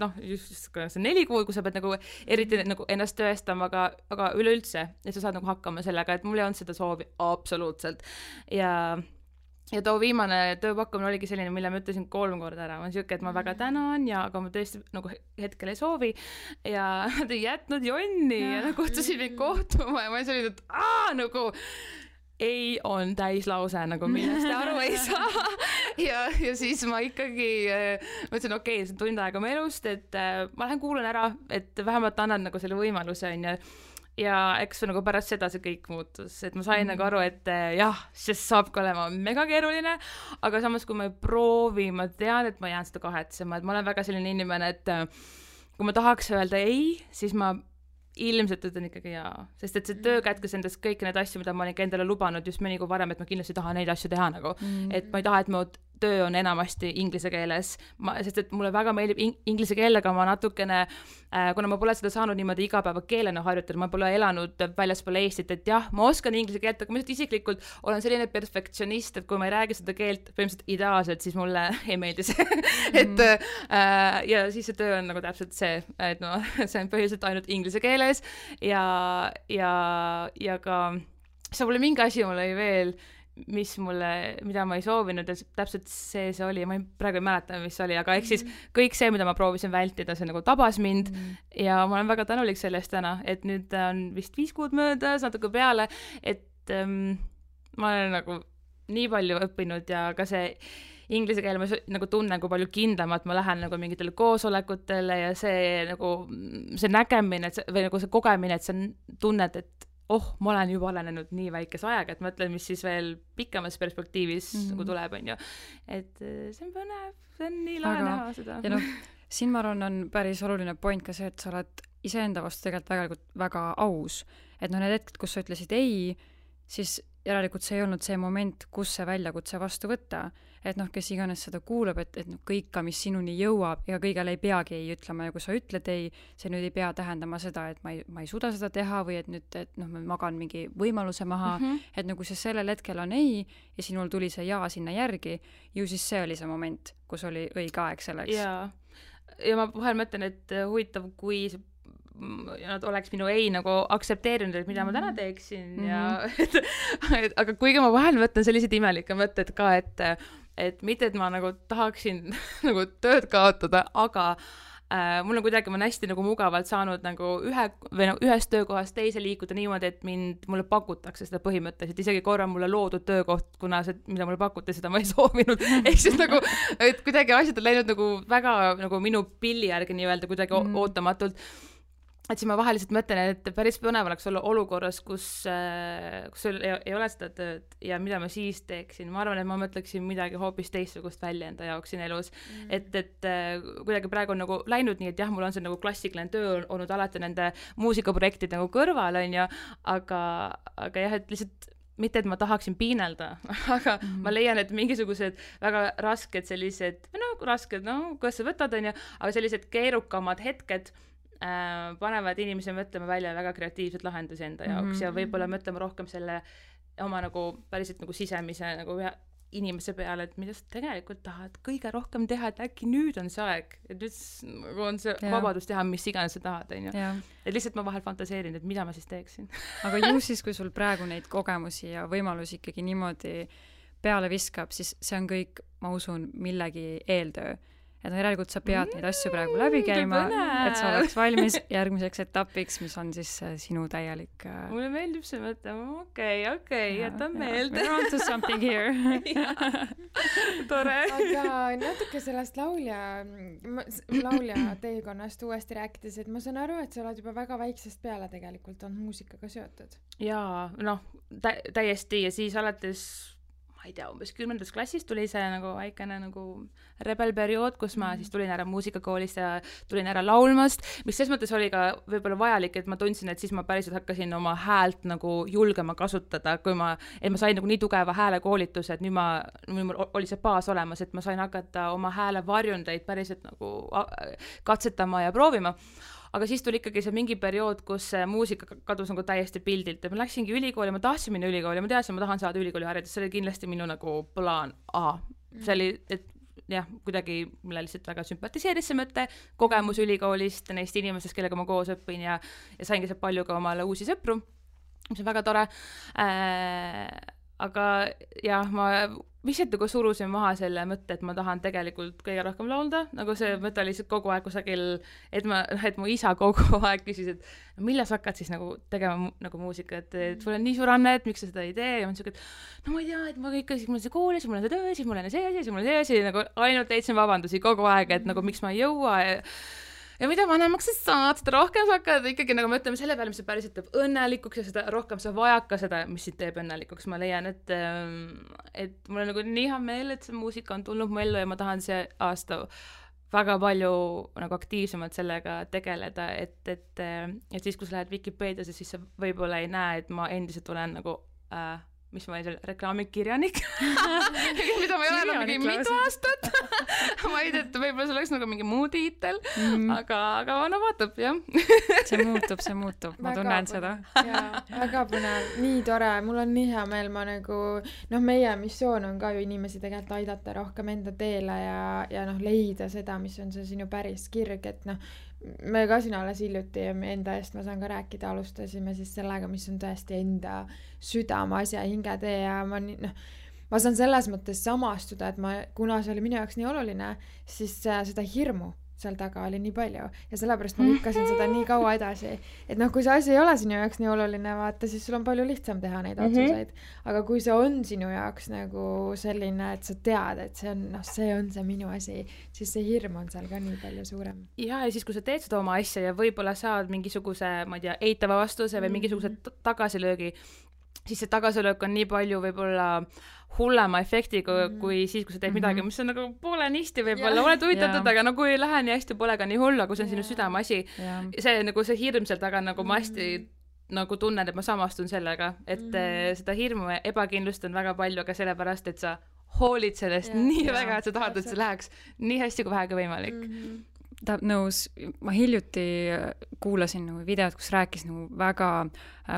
noh, just see neli kuud, kui sa pead nagu eriti nagu ennast tõestama, aga, aga üleüldse, et sa saad nagu hakkama sellega, et mul ei olnud seda soovi absoluutselt. Ja Ja too viimane tööpakkumine oligi selline, mille ma ütlesin kolm korda ära. Ma olen siuke, et ma väga tänan ja aga ma tõesti nagu hetkel ei soovi ja nad ei jätnud jonni ja nad kutsusid mind kohtuma ja ma olin selline, et aah, nagu ei on täislause, nagu millest aru ei saa. ja, ja siis ma ikkagi mõtlesin, okei, okay, see on tund aega mu elust, et ma lähen kuulan ära, et vähemalt annan nagu selle võimaluse on ja ja eks nagu pärast seda see kõik muutus, et ma sain mm. nagu aru, et jah, see saab ka olema mega keeruline, aga samas kui ma ei proovi, ma tean, et ma jään seda kahetsema, et ma olen väga selline inimene, et kui ma tahaks öelda ei, siis ma ilmselt ütlen ikkagi jaa, sest et see töö kätkes endast kõik need asju, mida ma olin ka endale lubanud just mõni kui varem, et ma kindlasti tahan neid asju teha nagu, mm. et ma ei taha, et mu töö on enamasti inglise keeles, ma, sest et mulle väga meeldib in- inglise keelega, ma natukene, äh, kuna ma pole seda saanud niimoodi igapäeva keelena harjutada, ma pole elanud väljaspool Eestit, et jah, ma oskan inglise keelt, aga ma isiklikult olen selline perfektsionist, et kui ma ei räägi seda keelt põhimõtteliselt ideaalselt, siis mulle ei meeldi see. et äh, ja siis see töö on nagu täpselt see, et no see on põhiliselt ainult inglise keeles ja, ja, ja ka see pole mingi asi mulle ei veel mis mulle, mida ma ei soovinud ja täpselt see see oli, ma ei, praegu ei mäleta, mis oli, aga eks siis kõik see, mida ma proovisin vältida, see nagu tabas mind mm. ja ma olen väga tänulik sellest täna, et nüüd on vist viis kuud möödas, natuke peale, et ähm, ma olen nagu nii palju õppinud ja ka see inglise keel ma nagu tunnen, kui palju kindlamalt ma lähen nagu mingitele koosolekutele ja see nagu see nägemine see, või nagu see kogemine, et sa tunned, et oh, ma olen juba arenenud nii väikese ajaga, et mõtlen, mis siis veel pikemas perspektiivis mm-hmm. nagu tuleb, on ju. Et see on põnev, see on nii lahe näha seda. Ja noh, siin ma arvan, on päris oluline point ka see, et sa oled iseenda vastu tegelikult väga, väga aus. Et noh, need hetked, kus sa ütlesid ei, siis järelikult see ei olnud see moment, kus see väljakutse vastu võtta. Et noh, kes iganes seda kuulab, et, et noh, kõik ka, mis sinuni jõuab, ega kõigele ei peagi ei ütlema ja kui sa ütled ei, see nüüd ei pea tähendama seda, et ma ei, ma ei suuda seda teha või et nüüd, et noh, ma magan mingi võimaluse maha, mm-hmm. et nagu see sellel hetkel on ei ja sinul tuli see jaa sinna järgi, ju siis see oli see moment, kus oli õige aeg selleks. Jaa. Ja ma vahel mõtlen, et huvitav, kui nad oleks minu ei nagu aktsepteerinud, et mida ma täna teeksin mm-hmm. ja et, et, aga kuigi ma vahel mõtlen sellised imelikke mõtted ka, et, et mitte, et ma nagu tahaksin nagu tööd kaotada, aga äh, mul on kuidagi, ma olen hästi nagu mugavalt saanud nagu ühe, või nagu ühest töökohast teise liikuda niimoodi, et mind, mulle pakutakse seda põhimõtteliselt, isegi korra mulle loodud töökoht, kuna see, mida mulle pakuti, seda ma ei soovinud, ehk siis nagu, et kuidagi asjad on läinud nagu väga nagu minu pilli järgi nii-öelda kuidagi mm. ootamatult. Et siis ma vahel lihtsalt mõtlen, et päris põnev oleks olla olukorras, kus, kus ei, ei ole seda tööd ja mida ma siis teeksin. Ma arvan, et ma mõtleksin midagi hoopis teistsugust välja enda jaoks siin elus. Mm. Et, et kuidagi praegu on nagu läinud nii, et jah, mul on see nagu klassikaline töö olnud alati nende muusikaprojektid nagu kõrval, on ju, aga, aga jah, et lihtsalt mitte, et ma tahaksin piinelda, aga mm. ma leian, et mingisugused väga rasked sellised, no rasked, no kuidas sa võtad, on ju, aga sellised keerukamad hetked Äh, panevad inimese mõtlema välja väga kreatiivsed lahendusi enda jaoks mm-hmm. ja võib-olla mõtlema rohkem selle oma nagu päriselt nagu sisemise nagu ühe inimese peale, et mida sa tegelikult tahad kõige rohkem teha, et äkki nüüd on see aeg, et nüüd on see ja. Vabadus teha, mis iganes sa tahad, on ju. Et lihtsalt ma vahel fantaseerin, et mida ma siis teeksin. Aga ju siis, kui sul praegu neid kogemusi ja võimalusi ikkagi niimoodi peale viskab, siis see on kõik, ma usun, millegi eeltöö. Et järelikult sa pead mm, neid asju praegu läbi käima, et sa oleks valmis järgmiseks etapiks, mis on siis sinu täielik... Mulle meeldib see mõte, okei, okei, jätan meelde. We're on to something here. Tore. Aga natuke sellest laulja, laulja teekonnast uuesti rääkides, et ma saan aru, et sa oled juba väga väiksest peale tegelikult on muusikaga seotud. Jaa, noh, tä- täiesti ja siis alates... ma ei tea, umbes kümnendas klassis tuli see nagu väikene nagu rebelperiood, kus ma siis tulin ära muusikakoolist ja tulin ära laulmast, mis ses mõttes oli ka võib-olla vajalik, et ma tundsin, et siis ma päriselt hakkasin oma häält nagu julgema kasutada, kui ma, et ma sain nagu nii tugeva häälekoolituse, et nüüd ma, nüüd mul oli see baas olemas, et ma sain hakata oma hääle varjundeid päriselt nagu katsetama ja proovima. Aga siis tuli ikkagi see mingi periood, kus muusika kadus nagu täiesti pildilt ja ma läksingi ülikooli, ma tahtsin minna ülikooli, ma teadsin, ma tahan saada ülikooli haridust, see oli kindlasti minu nagu plaan A. See oli, et jah, kuidagi mulle lihtsalt väga sümpatiseeris see mõte, kogemus ülikoolist, neist inimestest, kellega ma koos õppin ja, ja saingi see palju ka omale uusi sõpru, mis on väga tore. Äh, aga jah, ma lihtsalt nagu surusin maha selle mõtte, et ma tahan tegelikult kõige rohkem laulda, nagu see mõte oli lihtsalt kogu aeg kusagil, et ma, et mu isa kogu aeg küsis, et millal sa hakkad siis nagu tegema nagu muusikat, et sul on nii suur anne, et miks sa seda ei tee, ja ma siuke, et no ma ei tea, et ma ikka, siis mul on see kool, siis mul on see töö, siis mul on see asi, siis mul on see asi, nagu ainult leidsin vabandusi kogu aeg, et nagu miks ma ei jõua ja ja mida vanemaks sa saad, seda rohkem sa hakkad ikkagi nagu mõtlema selle peale, mis sa päriselt teeb õnnelikuks ja seda rohkem sa vajad ka seda, mis sind teeb õnnelikuks. Ma leian, et, et mul on nagu nii hea meel, et see muusika on tulnud mu ellu ja ma tahan see aasta väga palju nagu aktiivsemalt sellega tegeleda, et, et, et siis, kui sa lähed Wikipeediasse, siis sa võib-olla ei näe, et ma endiselt olen nagu... Äh, mis ma olin seal reklaamikirjanik mida ma ei ole enam mingi mitu aastat ma ei tea, et võib-olla see oleks nagu mingi muu tiitel mm. aga, aga no vaatab, jah see muutub, see muutub, ma tunnen seda jaa, väga põnev, nii tore, mul on nii hea meel, ma nagu noh, meie missioon on ka ju inimesi tegelikult aidata rohkem enda teele ja, ja noh, leida seda, mis on see sinu päris kirg, et noh me ka siin alles hiljuti ja enda eest ma saan ka rääkida, alustasime siis sellega, mis on tõesti enda südame asja hingetee ja ma nii, noh, ma saan selles mõttes samastuda, et ma, kuna see oli minu jaoks nii oluline, siis seda hirmu seal taga oli nii palju ja sellepärast ma lükkasin seda nii kaua edasi, et noh, kui see asi ei ole sinu jaoks nii oluline, vaata, siis sul on palju lihtsam teha neid otsuseid, aga kui see on sinu jaoks nagu selline, et sa tead, et see on, noh, see on see minu asi, siis see hirm on seal ka nii palju suurem. Ja, ja siis kui sa teed seda oma asja ja võib-olla saad mingisuguse, ma ei tea, eitava vastuse või mingisuguse tagasilöögi, siis see tagasilöök on nii palju võib-olla hullema efektiga mm -hmm. kui siis, kui sa teed midagi, mis on nagu poole nisti võib-olla, oled huvitatud, aga no kui ei lähe nii hästi, pole ka nii hull, aga see on sinu südameasi. See nagu see hirm seal taga, nagu ma hästi mm -hmm. nagu tunnen, et ma samastun sellega, et mm -hmm. seda hirmu ja ebakindlust on väga palju, aga sellepärast, et sa hoolid sellest ja, nii ja, väga, et sa tahad, et see läheks nii hästi kui vähegi võimalik. Mm -hmm. Ta nõus, ma hiljuti kuulasin nagu videot, kus rääkis nagu väga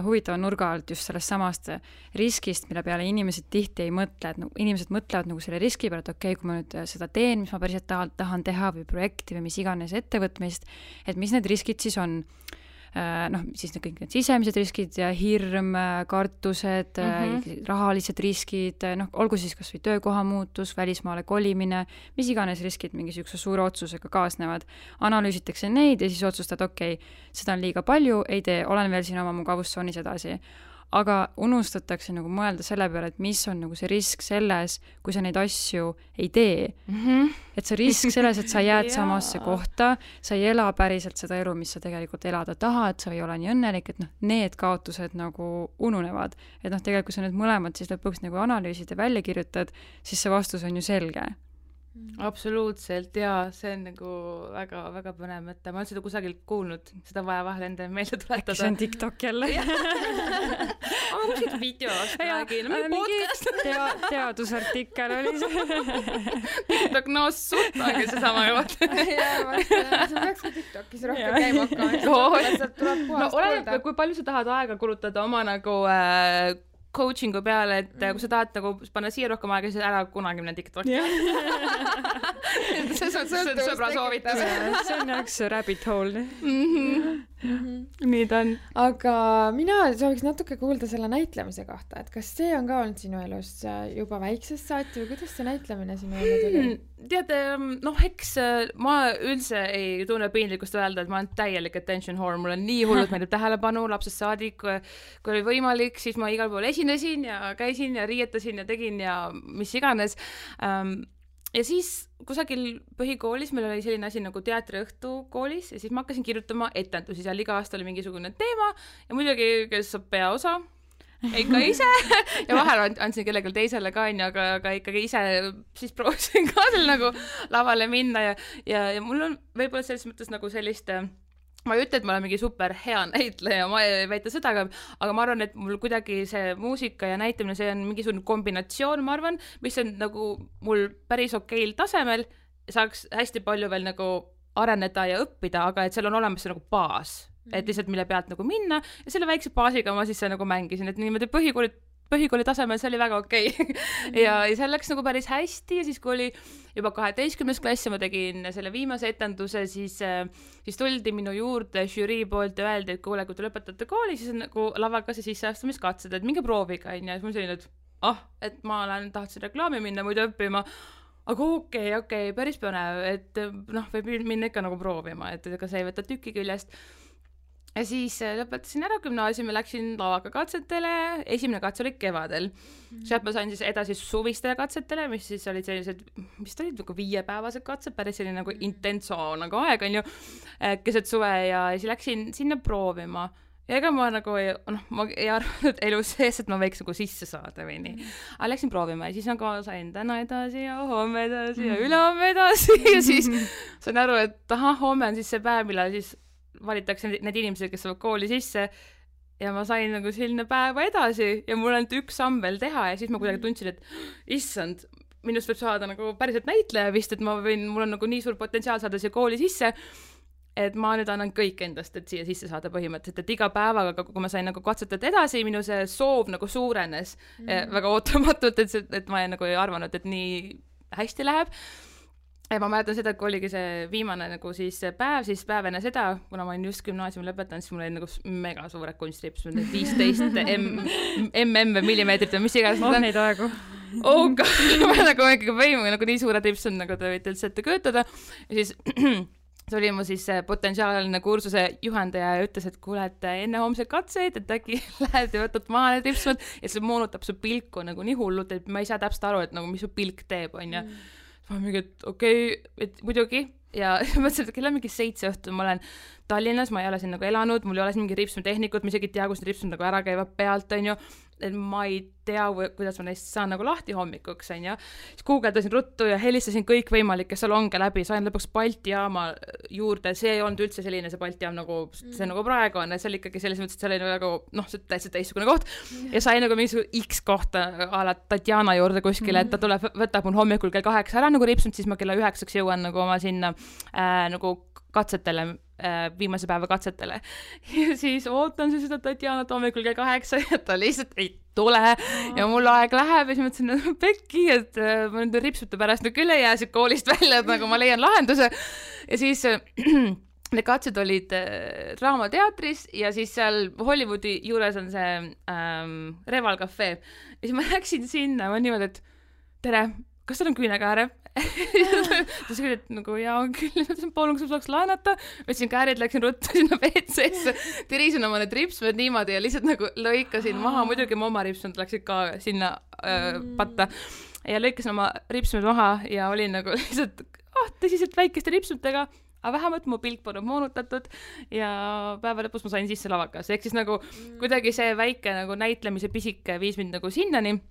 huvitava nurga alt just sellest samast riskist, mille peale inimesed tihti ei mõtle, et nagu inimesed mõtlevad nagu selle riski peale, et okei okay,, kui ma nüüd seda teen, mis ma päriselt tahan, tahan teha või projekti või mis iganes ettevõtmist, et mis need riskid siis on. Noh, siis kõik need sisemised riskid ja hirm, kartused, mm-hmm. rahalised riskid, noh, olgu siis kas või töökoha muutus, välismaale kolimine, mis iganes riskid mingisuguse suure otsusega kaasnevad. Analüüsitakse neid ja siis otsustad, okei, okay, seda on liiga palju, ei tee, olen veel siin oma mugavustsoonis edasi. Aga unustatakse nagu mõelda selle peale, et mis on nagu see risk selles, kui sa neid asju ei tee. Mm-hmm. Et see risk selles, et sa jääd samasse kohta, sa ei ela päriselt seda elu, mis sa tegelikult elada tahad, sa ei ole nii õnnelik, et noh, need kaotused nagu ununevad. Et noh, tegelikult kui sa need mõlemad siis lõpuks nagu analüüsid ja välja kirjutad, siis see vastus on ju selge. Absoluutselt, jaa, see on nagu väga, väga põnev mõte. Ma olen seda kusagil kuulnud, seda vaja vahel enda meelde tuletada. Äkki see on TikTok jälle? Aga kuskilt videost räägin, no mingi podcast. Tea, teadusartikkel oli see. TikTok, no suht ongi see sama juht. Jaa, vasta, see peaks ka TikTokis rohkem käima hakkama. No oleneb, kui palju sa tahad aega kulutada oma nagu äh, coachingu peale, et mm. kui sa tahad nagu panna siia rohkem aega, siis ära kunagi minna TikTok'i. see on sõbra soovitus. See on üks rabbit hole. Mm-hmm. Mm-hmm. Nii ta on. Aga mina sooviks natuke kuulda selle näitlemise kohta, et kas see on ka olnud sinu elus juba väiksest saati või kuidas see näitlemine sinu ellu tuli? Tead, noh, eks ma üldse ei tunne piinlikkust öelda, et ma olen täielik attention whore, mul on nii hullult meeldib tähelepanu, lapsest saadik, kui oli võimalik, siis ma igal pool esinesin ja käisin ja riietasin ja tegin ja mis iganes. Ja siis kusagil põhikoolis meil oli selline asi nagu teatriõhtu koolis ja siis ma hakkasin kirjutama etendusi, seal iga aasta oli mingisugune teema ja muidugi, kes saab peaosa, ikka ise ja vahel andsin kellelgi teisele ka, aga, aga ikkagi ise siis proovisin ka seal nagu lavale minna ja, ja, ja mul on võib-olla selles mõttes nagu sellist, ma ei ütle, et ma olen mingi super hea näitleja, ma ei väita seda, aga, aga ma arvan, et mul kuidagi see muusika ja näitamine, see on mingisugune kombinatsioon, ma arvan, mis on nagu mul päris okeil tasemel, saaks hästi palju veel nagu areneda ja õppida, aga et seal on olemas see nagu baas. Et lihtsalt mille pealt nagu minna ja selle väikse baasiga ma siis nagu mängisin, et niimoodi põhikooli, põhikooli tasemel see oli väga okei okay. ja, ja seal läks nagu päris hästi ja siis kui oli juba kaheteistkümnes klass ja ma tegin selle viimase etenduse, siis, siis tuldi minu juurde žürii poolt ja öeldi, et kuule, kui te lõpetate kooli, siis on nagu lavaga see sisseastumiskatsed, et minge prooviga, ja siis ma selline, et ah, et ma olen, tahtsin reklaami minna muidu õppima, aga okei, okay, okei, okay, päris põnev, et noh, võib minna ikka nagu proovima, et ega see ei võta tüki küljest. Ja siis lõpetasin ära gümnaasiumi, läksin lavaga katsetele, esimene katse oli kevadel. Mm-hmm. Sealt ma sain siis edasi suvistele katsetele, mis siis olid sellised, mis olid nagu viiepäevased katsed, päris selline nagu intenso nagu aeg on ju, keset suve ja siis läksin sinna proovima. Ja ega ma nagu ei, noh, ma ei arvanud elus sees, et ma võiks nagu sisse saada või nii. Aga läksin proovima ja siis nagu sain täna edasi ja homme edasi ja ülehomme edasi ja siis sain aru, et aha, homme on siis see päev, millal siis valitakse need inimesed, kes saavad kooli sisse ja ma sain nagu selline päeva edasi ja mul on üks samm veel teha ja siis ma kuidagi tundsin, et issand, minust võib saada nagu päriselt näitleja vist, et ma võin, mul on nagu nii suur potentsiaal saada siia kooli sisse, et ma nüüd annan kõik endast, et siia sisse saada põhimõtteliselt, et iga päevaga, kui ma sain nagu katsetada edasi, minu see soov nagu suurenes mm. väga ootamatult, et, et ma nagu ei arvanud, et nii hästi läheb. Ja ma mäletan seda, kui oligi see viimane nagu siis päev, siis päev enne seda, kuna ma olin just gümnaasiumi lõpetanud, siis mul oli nagu mega suured kunstrips, viisteist mm või millimeetrit või mis iganes. Oh, neid aegu. Oh god, ma nagu ikkagi võimu, nagu nii suured rips on, nagu te võite üldse ette köötada. Ja siis see oli mu siis potentsiaalne kursuse juhendaja ja ütles, et kuule, et enne homse katseid, et äkki lähed ja võtad maha need ripsmed ja see moonutab su pilku nagu nii hullult, et ma ei saa täpselt aru, et nagu mis su pilk teeb, on ja mm. ma mingi, et okei okay,, et muidugi ja mõtlesin, et kell on mingi seitse õhtul, ma olen Tallinnas, ma ei ole siin nagu elanud, mul ei ole siin mingi ripsmetehnikut, ma isegi ei tea, kus need ripsmed nagu ära käivad pealt, on ju, et ma ei tea, kuidas ma neist saan nagu lahti hommikuks, on ju. Siis guugeldasin ruttu ja helistasin kõik võimalikke salonge läbi, sain lõpuks Balti jaama juurde, see ei olnud üldse selline see Balti jaam nagu, see nagu praegu on, et see oli ikkagi selles mõttes, et see oli nagu, noh, see täitsa teistsugune koht ja sain nagu mingisugune X kohta ala Tatjana juurde kuskile, et ta tuleb, võtab mul hommikul kell kaheksa ära nagu ripsmed, siis ma kella üheksaks jõuan nagu oma sinna äh, nagu katsetele, viimase päeva katsetele ja siis ootan siis seda Tatjanat hommikul kell kaheksa ja ta lihtsalt ei tule ja mul aeg läheb ja siis mõtlesin, et pekki, et ma nende ripsute pärast nüüd küll ei jää siit koolist välja, et nagu ma leian lahenduse ja siis need katsed olid Draamateatris ja siis seal Hollywoodi juures on see ähm, Reval Cafe ja siis ma läksin sinna, ma niimoodi, et tere, kas teil on küünekääre? ta sõi, et nagu jaa on küll, palun, kas ma saaks laenata, võtsin käärid, läksin ruttu sinna W C-sse, tirisin oma need ripsmed niimoodi ja lihtsalt nagu lõikasin maha, muidugi mu oma ripsmed läksid ka sinna äh, patta ja lõikasin oma ripsmed maha ja olin nagu lihtsalt oh, tõsiselt väikeste ripsmetega, aga vähemalt mu pilk polnud moonutatud ja päeva lõpus ma sain sisse lavakas, ehk siis nagu kuidagi see väike nagu näitlemise pisike viis mind nagu sinnani.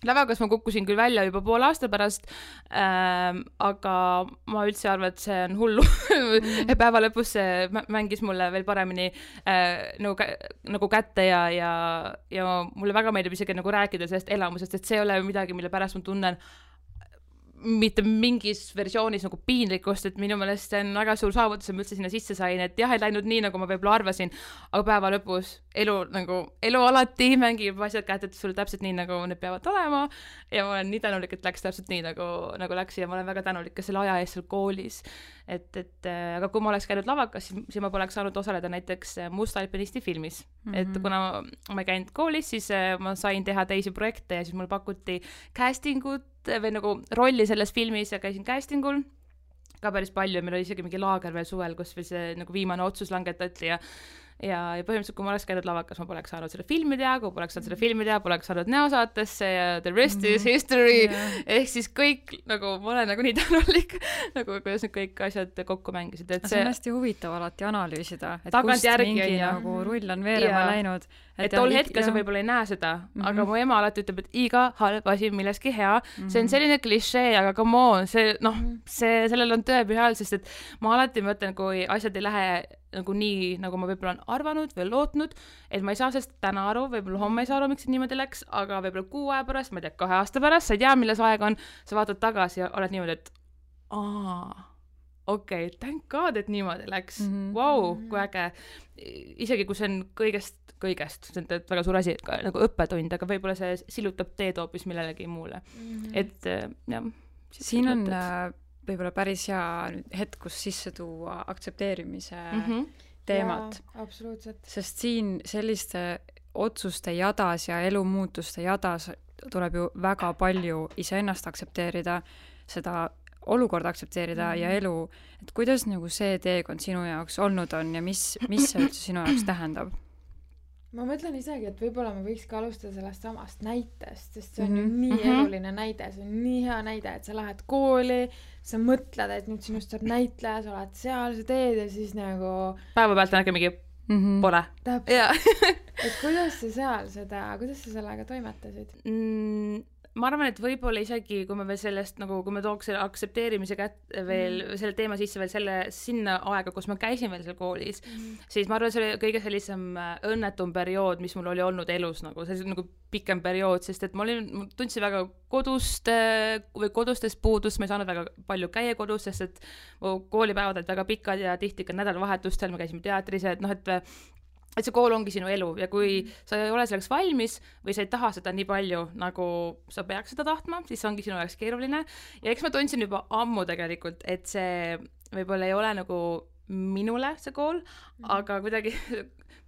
Lavakas ma kukkusin küll välja juba pool aasta pärast, ähm, aga ma üldse arvan, et see on hullu. Mm. Päeva lõpus see mängis mulle veel paremini äh, nagu, nagu kätte ja, ja, ja mulle väga meeldib isegi nagu rääkida sellest elamusest, et see ei ole midagi, mille pärast ma tunnen mitte mingis versioonis nagu piinlikkust, et minu meelest see on väga suur saavutus, et ma üldse sinna sisse sain, et jah, ei läinud nii, nagu ma võib-olla arvasin, aga päeva lõpus elu, nagu, elu alati mängib asjad kätte sulle täpselt nii, nagu need peavad olema ja ma olen nii tänulik, et läks täpselt nii, nagu, nagu läks ja ma olen väga tänulik ka selle aja eest seal koolis, et, et aga kui ma oleks käinud lavakas, siis, siis ma poleks saanud osaleda näiteks Musta alpinisti filmis, mm-hmm. et kuna ma ei käinud koolis, siis ma sain teha teisi projekte ja siis mul pakuti castingut või nagu rolli selles filmis ja käisin castingul ka päris palju, meil oli isegi mingi laager veel suvel, kus veel see nagu viimane otsus langetati ja ja, ja põhimõtteliselt, kui ma oleks käinud lavakas, ma poleks saanud selle filmi teha, kui poleks saanud selle filmi teha, poleks saanud Neosaatesse ja The Rest mm-hmm. is History yeah. ehk siis kõik, nagu ma olen nagu nii tänulik nagu kuidas need kõik asjad kokku mängisid, et see, see on hästi huvitav alati analüüsida, et kust mingi ja. nagu rull on veerema ja. läinud et, et tol hetkel sa võib-olla ei näe seda mm-hmm. aga mu ema alati ütleb, et iga halb asi milleski hea mm-hmm. see on selline klišee, aga come on, see noh, see, sellel on tõepühal, sest et ma alati mõtlen, kui asjad ei lähe nagu nii, nagu ma võib-olla on arvanud või lootnud, et ma ei saa sellest täna aru, võib-olla homme ei saa aru, miks see niimoodi läks, aga võib-olla kuu aja pärast, ma ei tea, kahe aasta pärast, sa ei tea, milles aeg on, sa vaatad tagasi ja oled niimoodi, et aa, okei, okay, thank God, et niimoodi läks, mm-hmm. wow, kui äge, isegi kui see on kõigest, kõigest, see on väga suur asi, ka, nagu õppetund, aga võib-olla see silutab teed hoopis millelegi muule, mm-hmm. et jah. Siin on mõtted. Võib-olla päris hea hetk, kus sisse tuua aktsepteerimise mm-hmm. teemat. Absoluutselt. Sest siin selliste otsuste jadas ja elumuutuste jadas tuleb ju väga palju iseennast aktsepteerida, seda olukorda aktsepteerida mm-hmm. ja elu, et kuidas nagu see teekond sinu jaoks olnud on ja mis, mis see üldse sinu jaoks tähendab? Ma mõtlen isegi, et võib-olla me võiks ka alustada sellest samast näitest, sest see on mm-hmm. ju nii mm-hmm. eluline näide, see on nii hea näide, et sa lähed kooli, sa mõtled, et nüüd sinust saab näitleja, sa oled seal, sa teed ja siis nagu päeva pealt on äkki mingi mm-hmm. pole. Täpselt. et kuidas sa seal seda, kuidas sa sellega toimetasid? Mm, ma arvan, et võib-olla isegi, kui me veel sellest, nagu kui me tooks selle aktsepteerimise kätt veel mm. selle teema sisse veel selle sinna aega, kus ma käisin veel seal koolis, mm. siis ma arvan, see oli kõige sellisem õnnetum periood, mis mul oli olnud elus, nagu see nagu pikem periood, sest et ma olin, ma tundsin väga kodust või kodustest puudust, ma ei saanud väga palju käia kodus, sest et mu koolipäevad olid väga pikad ja tihti ka nädalavahetustel me käisime teatris, et noh, et et see kool ongi sinu elu ja kui sa ei ole selleks valmis või sa ei taha seda nii palju, nagu sa peaks seda tahtma, siis ongi sinu jaoks keeruline ja eks ma tundsin juba ammu tegelikult, et see võib-olla ei ole nagu minule see kool, aga kuidagi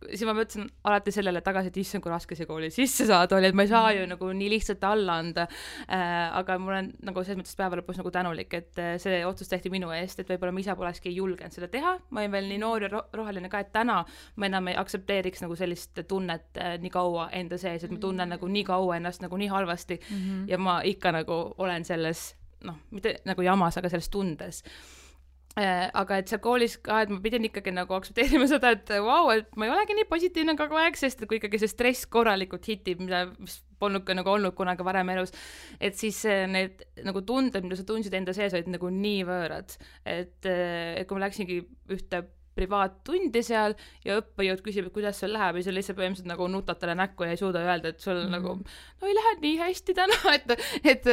siis ma mõtlesin alati sellele tagasi, et issand, kui raske see kooli sisse saada oli, et ma ei saa ju nagu nii lihtsalt alla anda äh,, aga mul on nagu selles mõttes päeva lõpus nagu tänulik, et see otsus tehti minu eest, et võib-olla ma ise polekski julgenud seda teha, ma olin veel nii noor ja ro- roheline ka, et täna ma enam ei aktsepteeriks nagu sellist tunnet äh, nii kaua enda sees, et ma tunnen nagu nii kaua ennast nagu nii halvasti mm -hmm. ja ma ikka nagu olen selles, noh, mitte nagu jamas, aga selles tundes. Äh, aga et seal koolis ka, et ma pidin ikkagi nagu aktsepteerima seda, et vau, wow, et ma ei olegi nii positiivne kogu aeg, sest kui ikkagi see stress korralikult hitib, mida mis polnud ka nagu olnud kunagi varem elus, et siis need nagu tunded, mida sa tundsid enda sees, olid nagu nii võõrad, et, et kui ma läksingi ühte privaattundi seal ja õppejõud küsib, et kuidas sul läheb ja sa lihtsalt põhimõtteliselt nagu nutad talle näkku ja ei suuda öelda, et sul mm. nagu no ei lähe nii hästi täna, et, et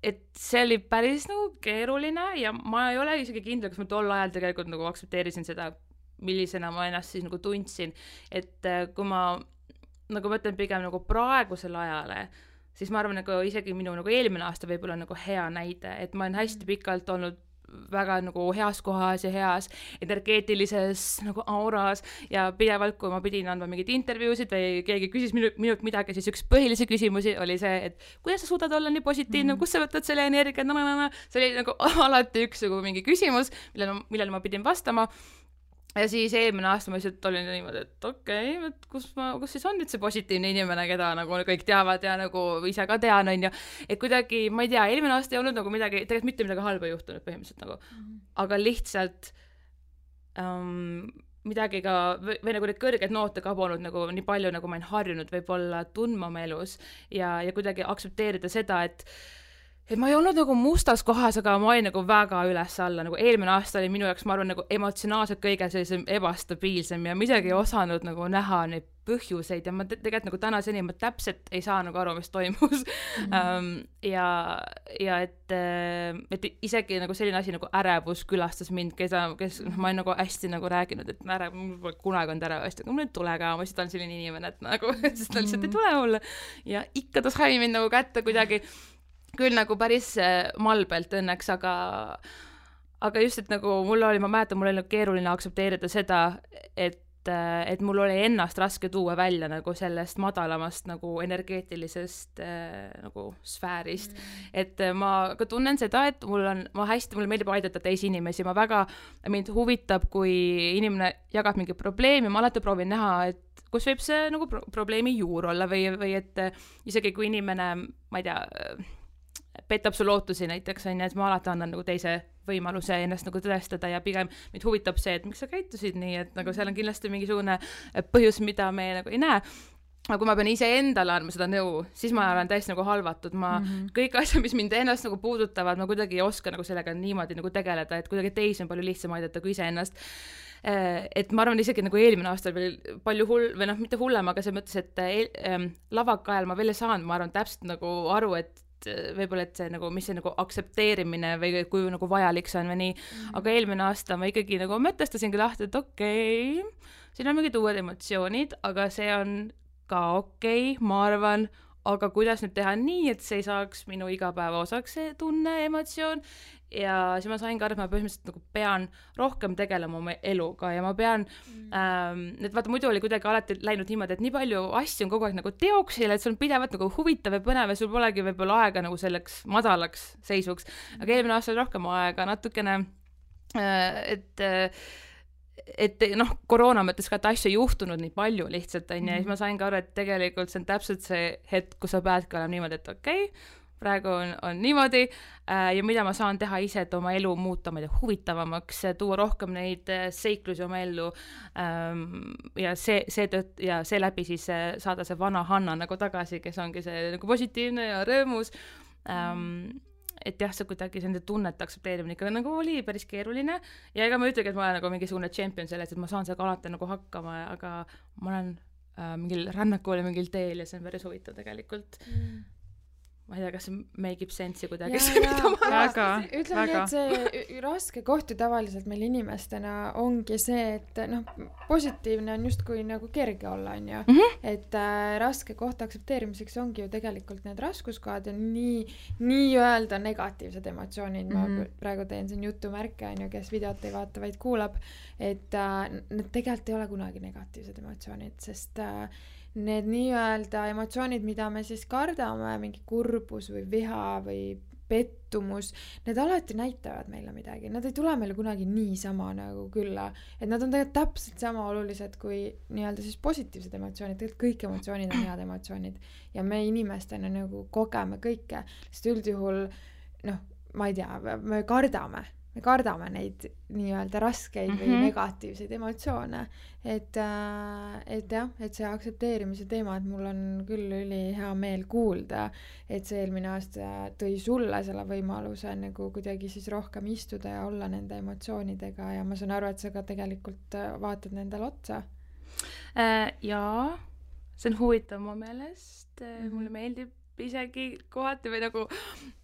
et see oli päris nagu keeruline ja ma ei ole isegi kindel, kas ma tol ajal tegelikult nagu aktsepteerisin seda, millisena ma ennast siis nagu tundsin, et kui ma nagu mõtlen pigem nagu praegusele ajale, siis ma arvan, nagu isegi minu nagu eelmine aasta võib olla nagu hea näide, et ma olen hästi pikalt olnud väga nagu heas kohas ja heas energeetilises nagu auras ja pidevalt, kui ma pidin andma mingeid intervjuusid või keegi küsis minu, minult midagi, siis üks põhilisi küsimusi oli see, et kuidas sa suudad olla nii positiivne, mm. kus sa võtad selle energia, see oli nagu alati üks nagu mingi küsimus, millele, millele ma pidin vastama. Ja siis eelmine aasta ma lihtsalt olin niimoodi, et okei, okay, et kus, ma, kus siis on nüüd see positiivne inimene, keda nagu kõik teavad ja nagu ise ka tean, on ju. Et kuidagi, ma ei tea, eelmine aasta ei olnud nagu midagi, tegelikult mitte midagi halba juhtunud põhimõtteliselt nagu, mm-hmm. aga lihtsalt um, midagi ka, või, või nagu need kõrged noote kabonud nagu nii palju, nagu ma olen harjunud võib-olla tundma oma elus ja, ja kuidagi aktsepteerida seda, et et ma ei olnud nagu mustas kohas, aga ma olin nagu väga üles alla, nagu eelmine aasta oli minu jaoks, ma arvan, nagu emotsionaalselt kõige sellisem ebastabiilsem ja midagi ei osanud nagu näha neid põhjuseid ja ma te- tegelikult nagu tänaseni ma täpselt ei saa nagu aru, mis toimus mm-hmm. um, ja, ja et, et isegi nagu selline asi nagu ärevus külastas mind, keda, kes, ma olen nagu hästi nagu rääkinud, et ärev, mul pole kunagi olnud ärevust, aga mul ei tule ka, ma lihtsalt olen selline inimene, et nagu, sest ta lihtsalt ei tule mulle ja ikka ta sai mind nagu kätte kuidagi küll nagu päris malbelt õnneks, aga aga just, et nagu mul oli, ma mäletan, mul oli nagu keeruline aktsepteerida seda, et, et mul oli ennast raske tuua välja nagu sellest madalamast nagu energeetilisest nagu sfäärist. Mm. Et ma ka tunnen seda, et mul on, ma hästi, mulle meeldib aidata teisi inimesi, ma väga, mind huvitab, kui inimene jagab mingi probleemi, ma alati proovin näha, et kus võib see nagu pro- probleemi juur olla või, või et isegi kui inimene, ma ei tea, petab su lootusi näiteks, on, et ma alati annan nagu teise võimaluse ennast nagu tõestada ja pigem mind huvitab see, et miks sa käitusid nii, et nagu seal on kindlasti mingisugune põhjus, mida me nagu ei näe. Aga kui ma pean ise endale andma seda nõu, siis ma olen täiesti nagu halvatud, ma mm-hmm. kõik asjad, mis mind ennast nagu puudutavad, ma kuidagi ei oska nagu sellega niimoodi nagu tegeleda, et kuidagi teisi on palju lihtsam aidata kui ise ennast. Et ma arvan isegi nagu eelmine aasta veel palju hull, või noh, mitte hullem, aga see mõttes, et ähm, lavaka ajal ma veel ei saanud, ma arvan täpselt nagu aru, et võib-olla, et see nagu, mis see nagu aktsepteerimine või kui nagu vajalik see on või nii, mm-hmm. aga eelmine aasta ma ikkagi nagu mõtestasingi lahti, et okei okay,, siin on mingid uued emotsioonid, aga see on ka okei okay,, ma arvan, aga kuidas nüüd teha nii, et see ei saaks minu igapäeva osaks see tunne, emotsioon ja siis ma sain ka aru, et ma põhimõtteliselt nagu pean rohkem tegelema oma eluga ja ma pean mm. ähm, et vaata, muidu oli kuidagi alati läinud niimoodi, et nii palju asju on kogu aeg nagu teoksil, et sul on pidevalt nagu huvitav ja põnev ja sul polegi võib-olla aega nagu selleks madalaks seisuks, aga eelmine aasta oli rohkem aega natukene äh, et et noh, koroona mõttes ka, et asju ei juhtunud nii palju lihtsalt, on ju, ja siis ma sain ka aru, et tegelikult see on täpselt see hetk, kus sa peadki olema niimoodi, et okei okay,, praegu on, on niimoodi äh, ja mida ma saan teha ise, et oma elu muuta, ma ei tea, huvitavamaks, tuua rohkem neid seiklusi oma ellu ähm, ja see, see tõtt, ja seeläbi siis saada see vana Hanna nagu tagasi, kes ongi see nagu positiivne ja rõõmus ähm, et jah, see kuidagi see tunnete aktsepteerimine ikka nagu oli päris keeruline ja ega ma ütlegi, et ma olen nagu mingisugune champion selles, et ma saan sellega alati nagu hakkama, aga ma olen äh, mingil rännakul ja mingil teel ja see on päris huvitav tegelikult mm. ma ei tea, kas see make ib sense'i kuidagi. Väga, ütleme nii, et see raske koht ju tavaliselt meil inimestena ongi see, et noh, positiivne on just kui nagu kerge olla, on ju. Mm -hmm. Et äh, raske koht aktsepteerimiseks ongi ju tegelikult need raskuskohad ja nii, nii öelda negatiivsed emotsioonid. Mm -hmm. Ma praegu teen siin jutumärke, on ju, kes videot ei vaata, vaid kuulab, et äh, need tegelikult ei ole kunagi negatiivsed emotsioonid, sest äh, need nii-öelda emotsioonid, mida me siis kardame, mingi kurbus või viha või pettumus, need alati näitavad meile midagi. Nad ei tule meile kunagi niisama nagu külla. Et nad on tegelikult täpselt sama olulised kui nii-öelda siis positiivsed emotsioonid. Tegelikult kõik emotsioonid on head emotsioonid. Ja me inimestena nagu kogeme kõike. Sest üldjuhul, noh, ma ei tea, me kardame. Me kardame neid nii-öelda raskeid mm -hmm. või negatiivseid emotsioone. Et, et jah, et see aktsepteerimise teema, et mul on küll üli hea meel kuulda, et see eelmine aasta tõi sulle selle võimaluse nagu kuidagi siis rohkem istuda ja olla nende emotsioonidega ja ma saan aru, et sa ka tegelikult vaatad nendele otsa. Äh, jaa, see on huvitav mu meelest. Mm -hmm. Mulle meeldib isegi kohati või nagu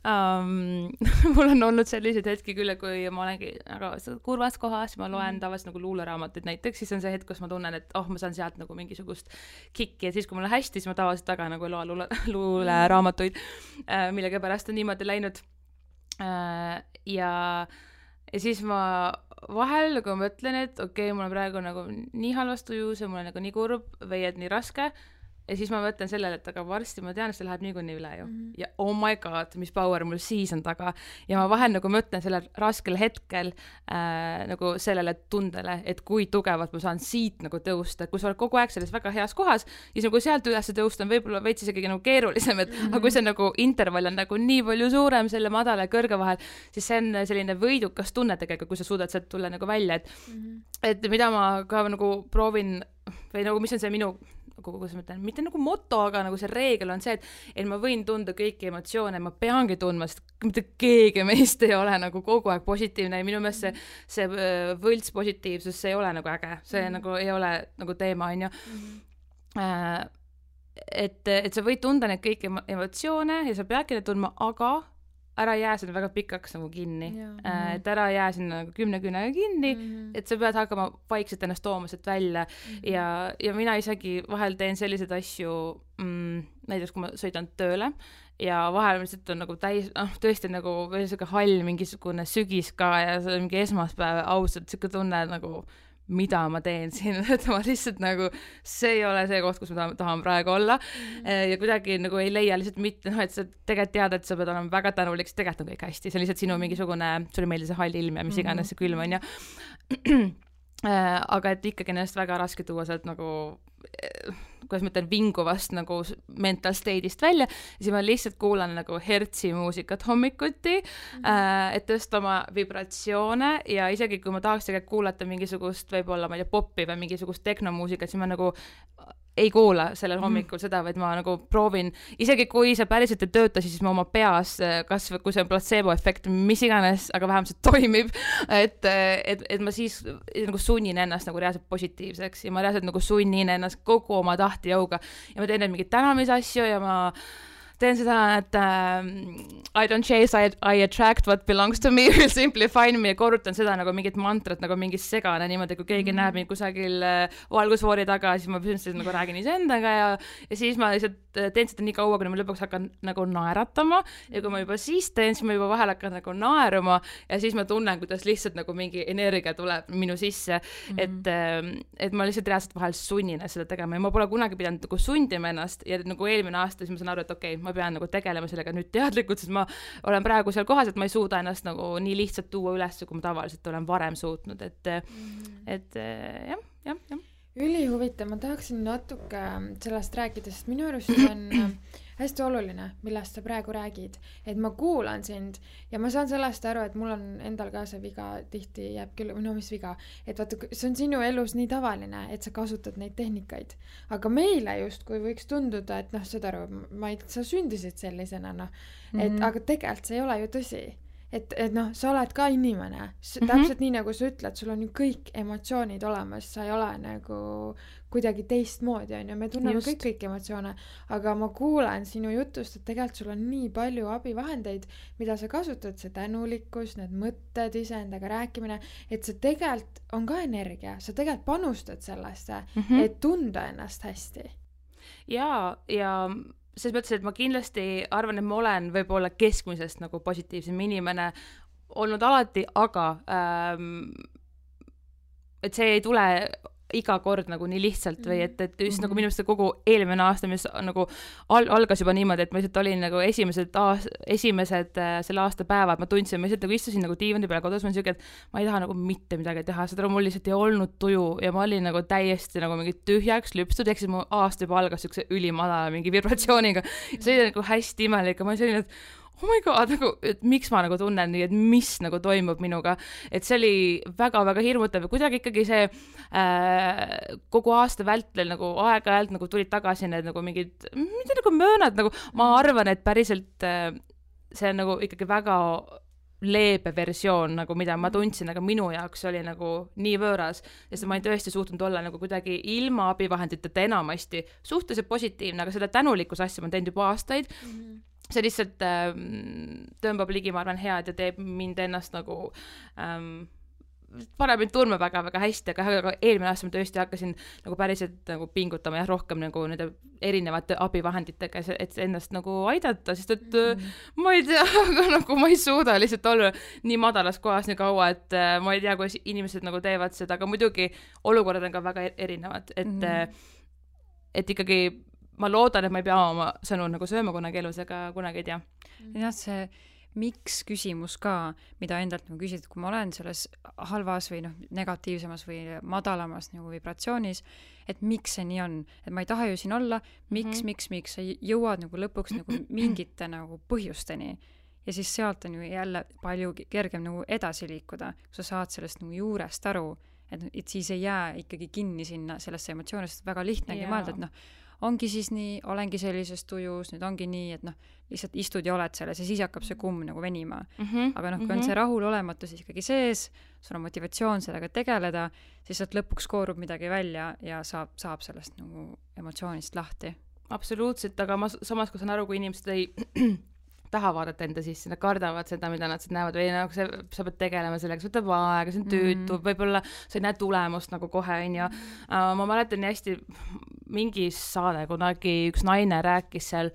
um, mul on olnud sellised hetki küll, kui ma olengi nagu kurvas kohas, ma loen mm. tavaliselt nagu luuleraamatuid näiteks, siis on see hetk, kus ma tunnen, et oh, ma saan sealt nagu mingisugust kikki ja siis, kui mul on hästi, siis ma tavaliselt taga nagu loen luule, luuleraamatuid, uh, millega pärast on niimoodi läinud uh, ja, ja siis ma vahel nagu mõtlen, et okei okay,, mul on praegu nagu nii halvast tujus ja mul on nagu nii kurb või et nii raske. Ja siis ma mõtlen sellele, et aga varsti ma tean, et see läheb niikuinii üle ju. Mm-hmm. Ja oh my god, mis power mul siis on taga. Ja ma vahel nagu mõtlen sellel raskel hetkel äh, nagu sellele tundele, et kui tugevalt ma saan siit nagu tõusta. Kui sa oled kogu aeg selles väga heas kohas, siis nagu sealt üles tõusta on võib-olla veits isegi nagu keerulisem, et mm-hmm. aga kui see nagu intervall on nagu nii palju suurem selle madala ja kõrge vahel, siis see on selline võidukas tunne tegelikult, kui sa suudad sealt tulla nagu välja. Et, mm-hmm. et mida ma ka nagu proovin või nagu mis on see minu kuidas ma ütlen, mitte nagu moto, aga nagu see reegel on see, et, et ma võin tunda kõiki emotsioone, ma peangi tundma, sest mitte keegi meist ei ole nagu kogu aeg positiivne ja minu meelest see, see võlts positiivsus, see ei ole nagu äge, see mm-hmm. nagu ei ole nagu teema, on ju. Mm-hmm. Äh, et, et sa võid tunda neid kõiki emotsioone ja sa peadki neid tundma, aga ära jää sinna väga pikaks nagu kinni. Äh, et ära jää sinna nagu kümne küünega kinni, mm-hmm. et sa pead hakkama vaikselt ennast tooma sealt välja mm-hmm. ja, ja mina isegi vahel teen selliseid asju, mm, näiteks kui ma sõidan tööle ja vahel lihtsalt on nagu täis, noh, tõesti nagu veel selline hall mingisugune sügis ka ja see on mingi esmaspäev ausalt, selline tunne nagu mida ma teen siin, et ma lihtsalt nagu, see ei ole see koht, kus ma tahan, tahan praegu olla mm-hmm. ja kuidagi nagu ei leia lihtsalt mitte, noh, et sa tegelikult tead, et sa pead olema väga tänulik, sest tegelikult on kõik hästi, see on lihtsalt sinu mingisugune, sulle meeldib see hall ilm ja mis iganes see külm on ja aga et ikkagi ennast väga raske tuua sealt nagu kuidas ma ütlen, vinguvast nagu mental state'ist välja ja siis ma lihtsalt kuulan nagu hertsi muusikat hommikuti mm-hmm. äh, et tõsta oma vibratsioone ja isegi kui ma tahaks tegelikult kuulata mingisugust võib-olla, ma ei tea, poppi või mingisugust tehnomuusikat, siis ma nagu ei kuula sellel hommikul mm. seda, vaid ma nagu proovin, isegi kui see päriselt ei tööta, siis ma oma peas, kas või kui see on placebo-efekt, mis iganes, aga vähemalt see toimib, et, et, et ma siis nagu sunnin ennast nagu reaalselt positiivseks ja ma reaalselt nagu sunnin ennast kogu oma tahtejõuga ja ma teen neid mingeid tänamisasju ja ma teen seda, et uh, I don't chase, I, I attract what belongs to me, will simply find me ja korrutan seda nagu mingit mantrat, nagu mingi segane niimoodi, kui keegi mm-hmm. näeb mind kusagil uh, valgusfoori taga, siis ma põhimõtteliselt nagu räägin iseendaga ja, ja siis ma lihtsalt teen seda nii kaua, kuni ma lõpuks hakkan nagu naeratama ja kui ma juba siis teen, siis ma juba vahel hakkan nagu naeruma ja siis ma tunnen, kuidas lihtsalt nagu mingi energia tuleb minu sisse, mm-hmm. et, et ma lihtsalt reaalselt vahel sunnin seda tegema ja ma pole kunagi pidanud nagu sundima ennast ja nagu eelmine aasta, siis ma saan aru, et okei okay,, ma pean nagu tegelema sellega nüüd teadlikult, sest ma olen praegu seal kohas, et ma ei suuda ennast nagu nii lihtsalt tuua üles, kui ma tavaliselt olen varem suutnud, et mm-hmm. et jah, jah, jah. Ülihuvitav, ma tahaksin natuke sellest rääkida, sest minu arust on hästi oluline, millest sa praegu räägid, et ma kuulan sind ja ma saan sellest aru, et mul on endal ka see viga tihti jääb küll, või no mis viga, et vaata, see on sinu elus nii tavaline, et sa kasutad neid tehnikaid, aga meile just, kui võiks tunduda, et noh, saad aru, ma ei, sa sündisid sellisena, noh, et mm-hmm. aga tegelikult see ei ole ju tõsi. et, et noh, sa oled ka inimene, mm-hmm. täpselt nii nagu sa ütled, sul on ju kõik emotsioonid olemas, sa ei ole nagu kuidagi teistmoodi, on ju, me tunneme Just. kõik kõik emotsioone, aga ma kuulen sinu jutust, et tegelikult sul on nii palju abivahendeid, mida sa kasutad, see tänulikkus, need mõtted, iseendaga rääkimine, et see tegelikult on ka energia, sa tegelikult panustad sellesse, mm-hmm. et tunda ennast hästi. Ja, ja selles mõttes, et ma kindlasti arvan, et ma olen võib-olla keskmisest nagu positiivsem inimene olnud alati, aga ähm, et see ei tule iga kord nagu nii lihtsalt või et, et just mm-hmm. nagu minu meelest kogu eelmine aasta, mis nagu al- algas juba niimoodi, et ma lihtsalt olin nagu esimesed, aas- esimesed äh, selle aasta päevad, ma tundsin, ma lihtsalt nagu istusin nagu diivani peale kodus, ma olin siuke, et ma ei taha nagu mitte midagi teha, seda mul lihtsalt ei olnud tuju ja ma olin nagu täiesti nagu mingi tühjaks lüpstud, ehk siis mu aasta juba algas siukse ülimadala mingi vibratsiooniga. See oli nagu hästi imelik ja ma olin selline, et oh my god, nagu, et miks ma nagu tunnen nii, et mis nagu toimub minuga, et see oli väga-väga hirmutav ja kuidagi ikkagi see äh, kogu aasta vältel nagu aeg-ajalt nagu tulid tagasi need nagu mingid, mitte nagu möönad, nagu ma arvan, et päriselt äh, see on nagu ikkagi väga leebe versioon, nagu mida ma tundsin, aga minu jaoks oli nagu nii võõras, sest ma ei tõesti suutnud olla nagu kuidagi ilma abivahenditeta enamasti suhteliselt positiivne, aga seda tänulikkuse asja ma olen teinud juba aastaid, mm-hmm. see lihtsalt ähm, tõmbab ligi, ma arvan, head ja teeb mind ennast nagu ähm, paneb mind tundma väga-väga hästi, aga, aga eelmine aasta ma tõesti hakkasin nagu päriselt nagu pingutama ja rohkem nagu nende erinevate abivahenditega, et ennast nagu aidata, sest et mm-hmm. ma ei tea, aga nagu ma ei suuda lihtsalt olla nii madalas kohas nii kaua, et äh, ma ei tea, kuidas inimesed nagu teevad seda, aga muidugi olukorrad on ka väga erinevad, et mm-hmm. et ikkagi ma loodan, et ma ei pea oma sõnu nagu sööma kunagi elus, aga kunagi ei tea. jah, see miks küsimus ka, mida endalt nagu küsid, kui ma olen selles halvas või noh, negatiivsemas või madalamas nagu vibratsioonis, et miks see nii on, et ma ei taha ju siin olla, miks, mm-hmm. miks, miks, sa jõuad nagu lõpuks nagu mingite nagu põhjusteni ja siis sealt on ju jälle palju kergem nagu edasi liikuda, kui sa saad sellest nagu juurest aru, et, et siis ei jää ikkagi kinni sinna sellesse emotsioonist, väga lihtnegi yeah. mõelda, et noh, ongi siis nii, olengi sellises tujus, nüüd ongi nii, et noh, lihtsalt istud ja oled selles ja siis hakkab see kumm nagu venima. Mm-hmm. aga noh, kui on see rahulolematus ikkagi sees, sul on motivatsioon sellega tegeleda, siis sealt lõpuks koorub midagi välja ja saab, saab sellest nagu emotsioonist lahti. Absoluutselt, aga ma samas, kui saan aru, kui inimesed ei taha vaadata enda sisse, nad kardavad seda, mida nad näevad või nagu see, sa pead tegelema sellega, see võtab aega, see on tüütu, mm. võib-olla sa ei näe tulemust nagu kohe, on ju. Uh, ma mäletan nii hästi mingi saade, kunagi üks naine rääkis seal,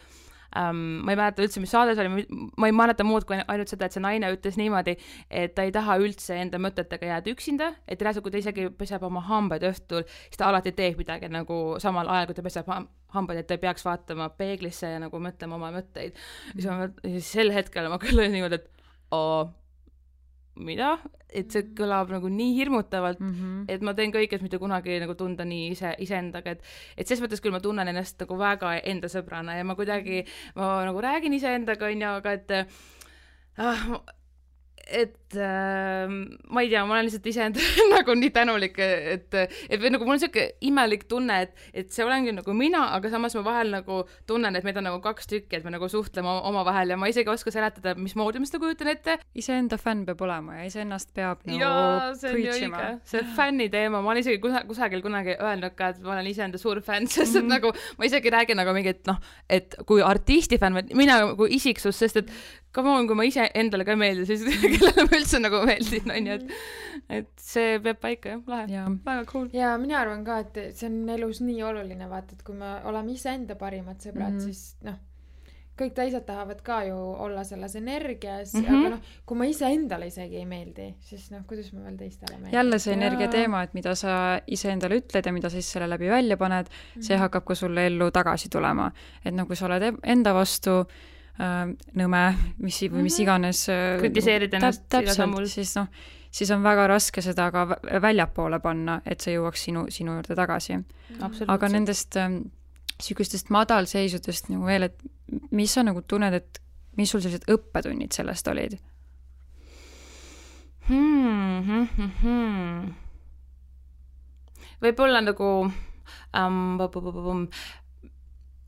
um, ma ei mäleta üldse, mis saades oli, ma ei mäleta muud kui ainult seda, et see naine ütles niimoodi, et ta ei taha üldse enda mõtetega jääda üksinda, et reaalselt, kui ta isegi peseb oma hambaid õhtul, siis ta alati teeb midagi nagu samal ajal, kui ta peseb hambaid, et ta ei peaks vaatama peeglisse ja nagu mõtlema oma mõtteid. Mm. Ja siis sel hetkel ma küll olin niimoodi, et oo, mida? Et see kõlab nagu nii hirmutavalt, mm-hmm. et ma teen kõik, et mitte kunagi nagu tunda nii ise, iseendaga, et, et ses mõttes küll ma tunnen ennast nagu väga enda sõbrana ja ma kuidagi, ma nagu räägin iseendaga, on ju, aga et ah, et äh, ma ei tea, ma olen lihtsalt iseenda nagu nii tänulik, et, et või nagu mul on siuke imelik tunne, et, et see olengi nagu mina, aga samas ma vahel nagu tunnen, et meid on nagu kaks tükki, et me nagu suhtleme oma vahel ja ma isegi oska seletada, mismoodi ma seda kujutan ette. Iseenda fänn peab olema ja iseennast peab nagu ja, preachima. See fänni teema, ma olen isegi kusagil kunagi öelnud ka, et ma olen iseenda suur fänn, sest et mm. nagu ma isegi räägin nagu mingi, et noh, et kui artisti fänn, mina kui isiksus, sest et come on, kui ma ise endale ka meeldin, siis kellele ma üldse nagu meeldin, on ju, et, et see peab paika, jah, lahe, ja. Väga cool. Ja mina arvan ka, et see on elus nii oluline, vaata, et kui me oleme ise enda parimad sõbrad, mm-hmm. siis noh, kõik teised tahavad ka ju olla selles energias, mm-hmm. aga noh, kui ma ise endale isegi ei meeldi, siis noh, kuidas ma veel teistele meeldin. Jälle see energia teema, et mida sa ise endale ütled ja mida siis selle läbi välja paned, mm-hmm. see hakkab ka sulle ellu tagasi tulema. Et noh, kui sa oled enda vastu nõme, mis, või mis iganes kritiseerid ennast täp, täpselt, siis noh, siis on väga raske seda ka väljapoole panna, et see jõuaks sinu, sinu juurde tagasi. Aga nendest ähm, sükustest madalseisudest nagu veel, et mis sa nagu tunned, et mis sul sellised õppetunnid sellest olid? Hmm, hmm, hmm. Võib-olla nagu um,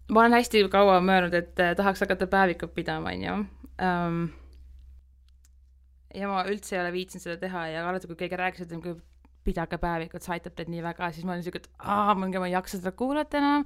ma olen hästi kaua möönud, et tahaks hakata päevikut pidama, on ju. Um, ja ma üldse ei ole viitsinud seda teha ja alati, kui keegi rääkis, et kui pidage päevikut, see aitab teid nii väga, siis ma olin siuke, et aa, ma ei jaksa seda kuulata enam,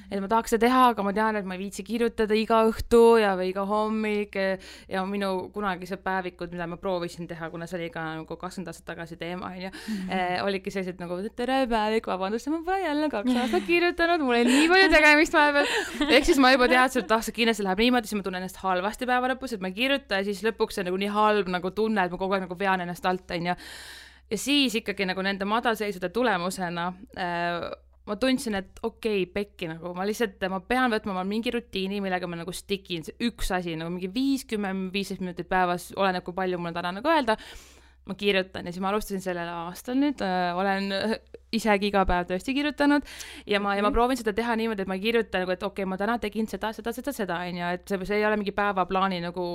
et ma tahaks seda teha, aga ma tean, et ma ei viitsi kirjutada iga õhtu ja või iga hommik ja minu kunagised päevikud, mida ma proovisin teha, kuna see oli ka nagu kakskümmend aastat tagasi teema, onju, eh, olidki sellised nagu, tere päevik, vabandust, ma pole jälle kaks aastat kirjutanud, mul ei nii palju tegemist vahepeal. Ehk siis ma juba teadsin, et ah, see kindlasti läheb niimoodi, siis ma tunnen ennast halvasti päeva lõpus, et ma ei kirjuta ja siis lõpuks see nagu nii halb nagu tunne, et ma kogu aeg nagu vean ennast alt, onju. Ja siis ikkagi nagu nende madalseisude tulemusena äh, ma tundsin, et okei, okay, pekki nagu, ma lihtsalt, ma pean võtma ma mingi rutiini, millega ma nagu stikin, see üks asi, nagu mingi viiskümmend, viisteist minutit päevas, oleneb, kui palju mul täna nagu öelda, ma kirjutan ja siis ma alustasin sellel aastal nüüd, äh, olen isegi iga päev tõesti kirjutanud ja ma, ja ma proovin seda teha niimoodi, et ma ei kirjuta nagu, et okei okay,, ma täna tegin seda, seda, seda, seda, onju, et see, see ei ole mingi päevaplaani nagu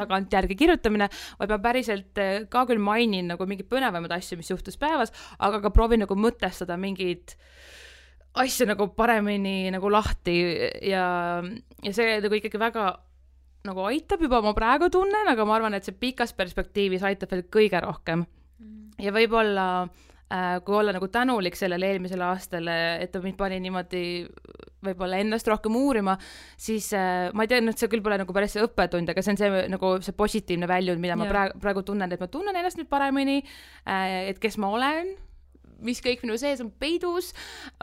tagantjärgi kirjutamine, vaid ma päriselt ka küll mainin nagu mingi põnevamad asju, mis juhtus päevas, aga ka proovin nagu mõtestada mingeid asju nagu paremini nagu lahti ja, ja see nagu ikkagi väga nagu aitab juba, ma praegu tunnen, aga ma arvan, et see pikas perspektiivis aitab veel kõige rohkem. Ja võib-olla, äh, kui olla nagu tänulik sellele eelmisele aastale, et ta mind pani niimoodi võib-olla ennast rohkem uurima, siis äh, ma ei tea, et see küll pole nagu päris see õppetund, aga see on see, nagu see positiivne väljund, mida ma praegu, praegu tunnen, et ma tunnen ennast nüüd paremini, äh, et kes ma olen, mis kõik minu sees on peidus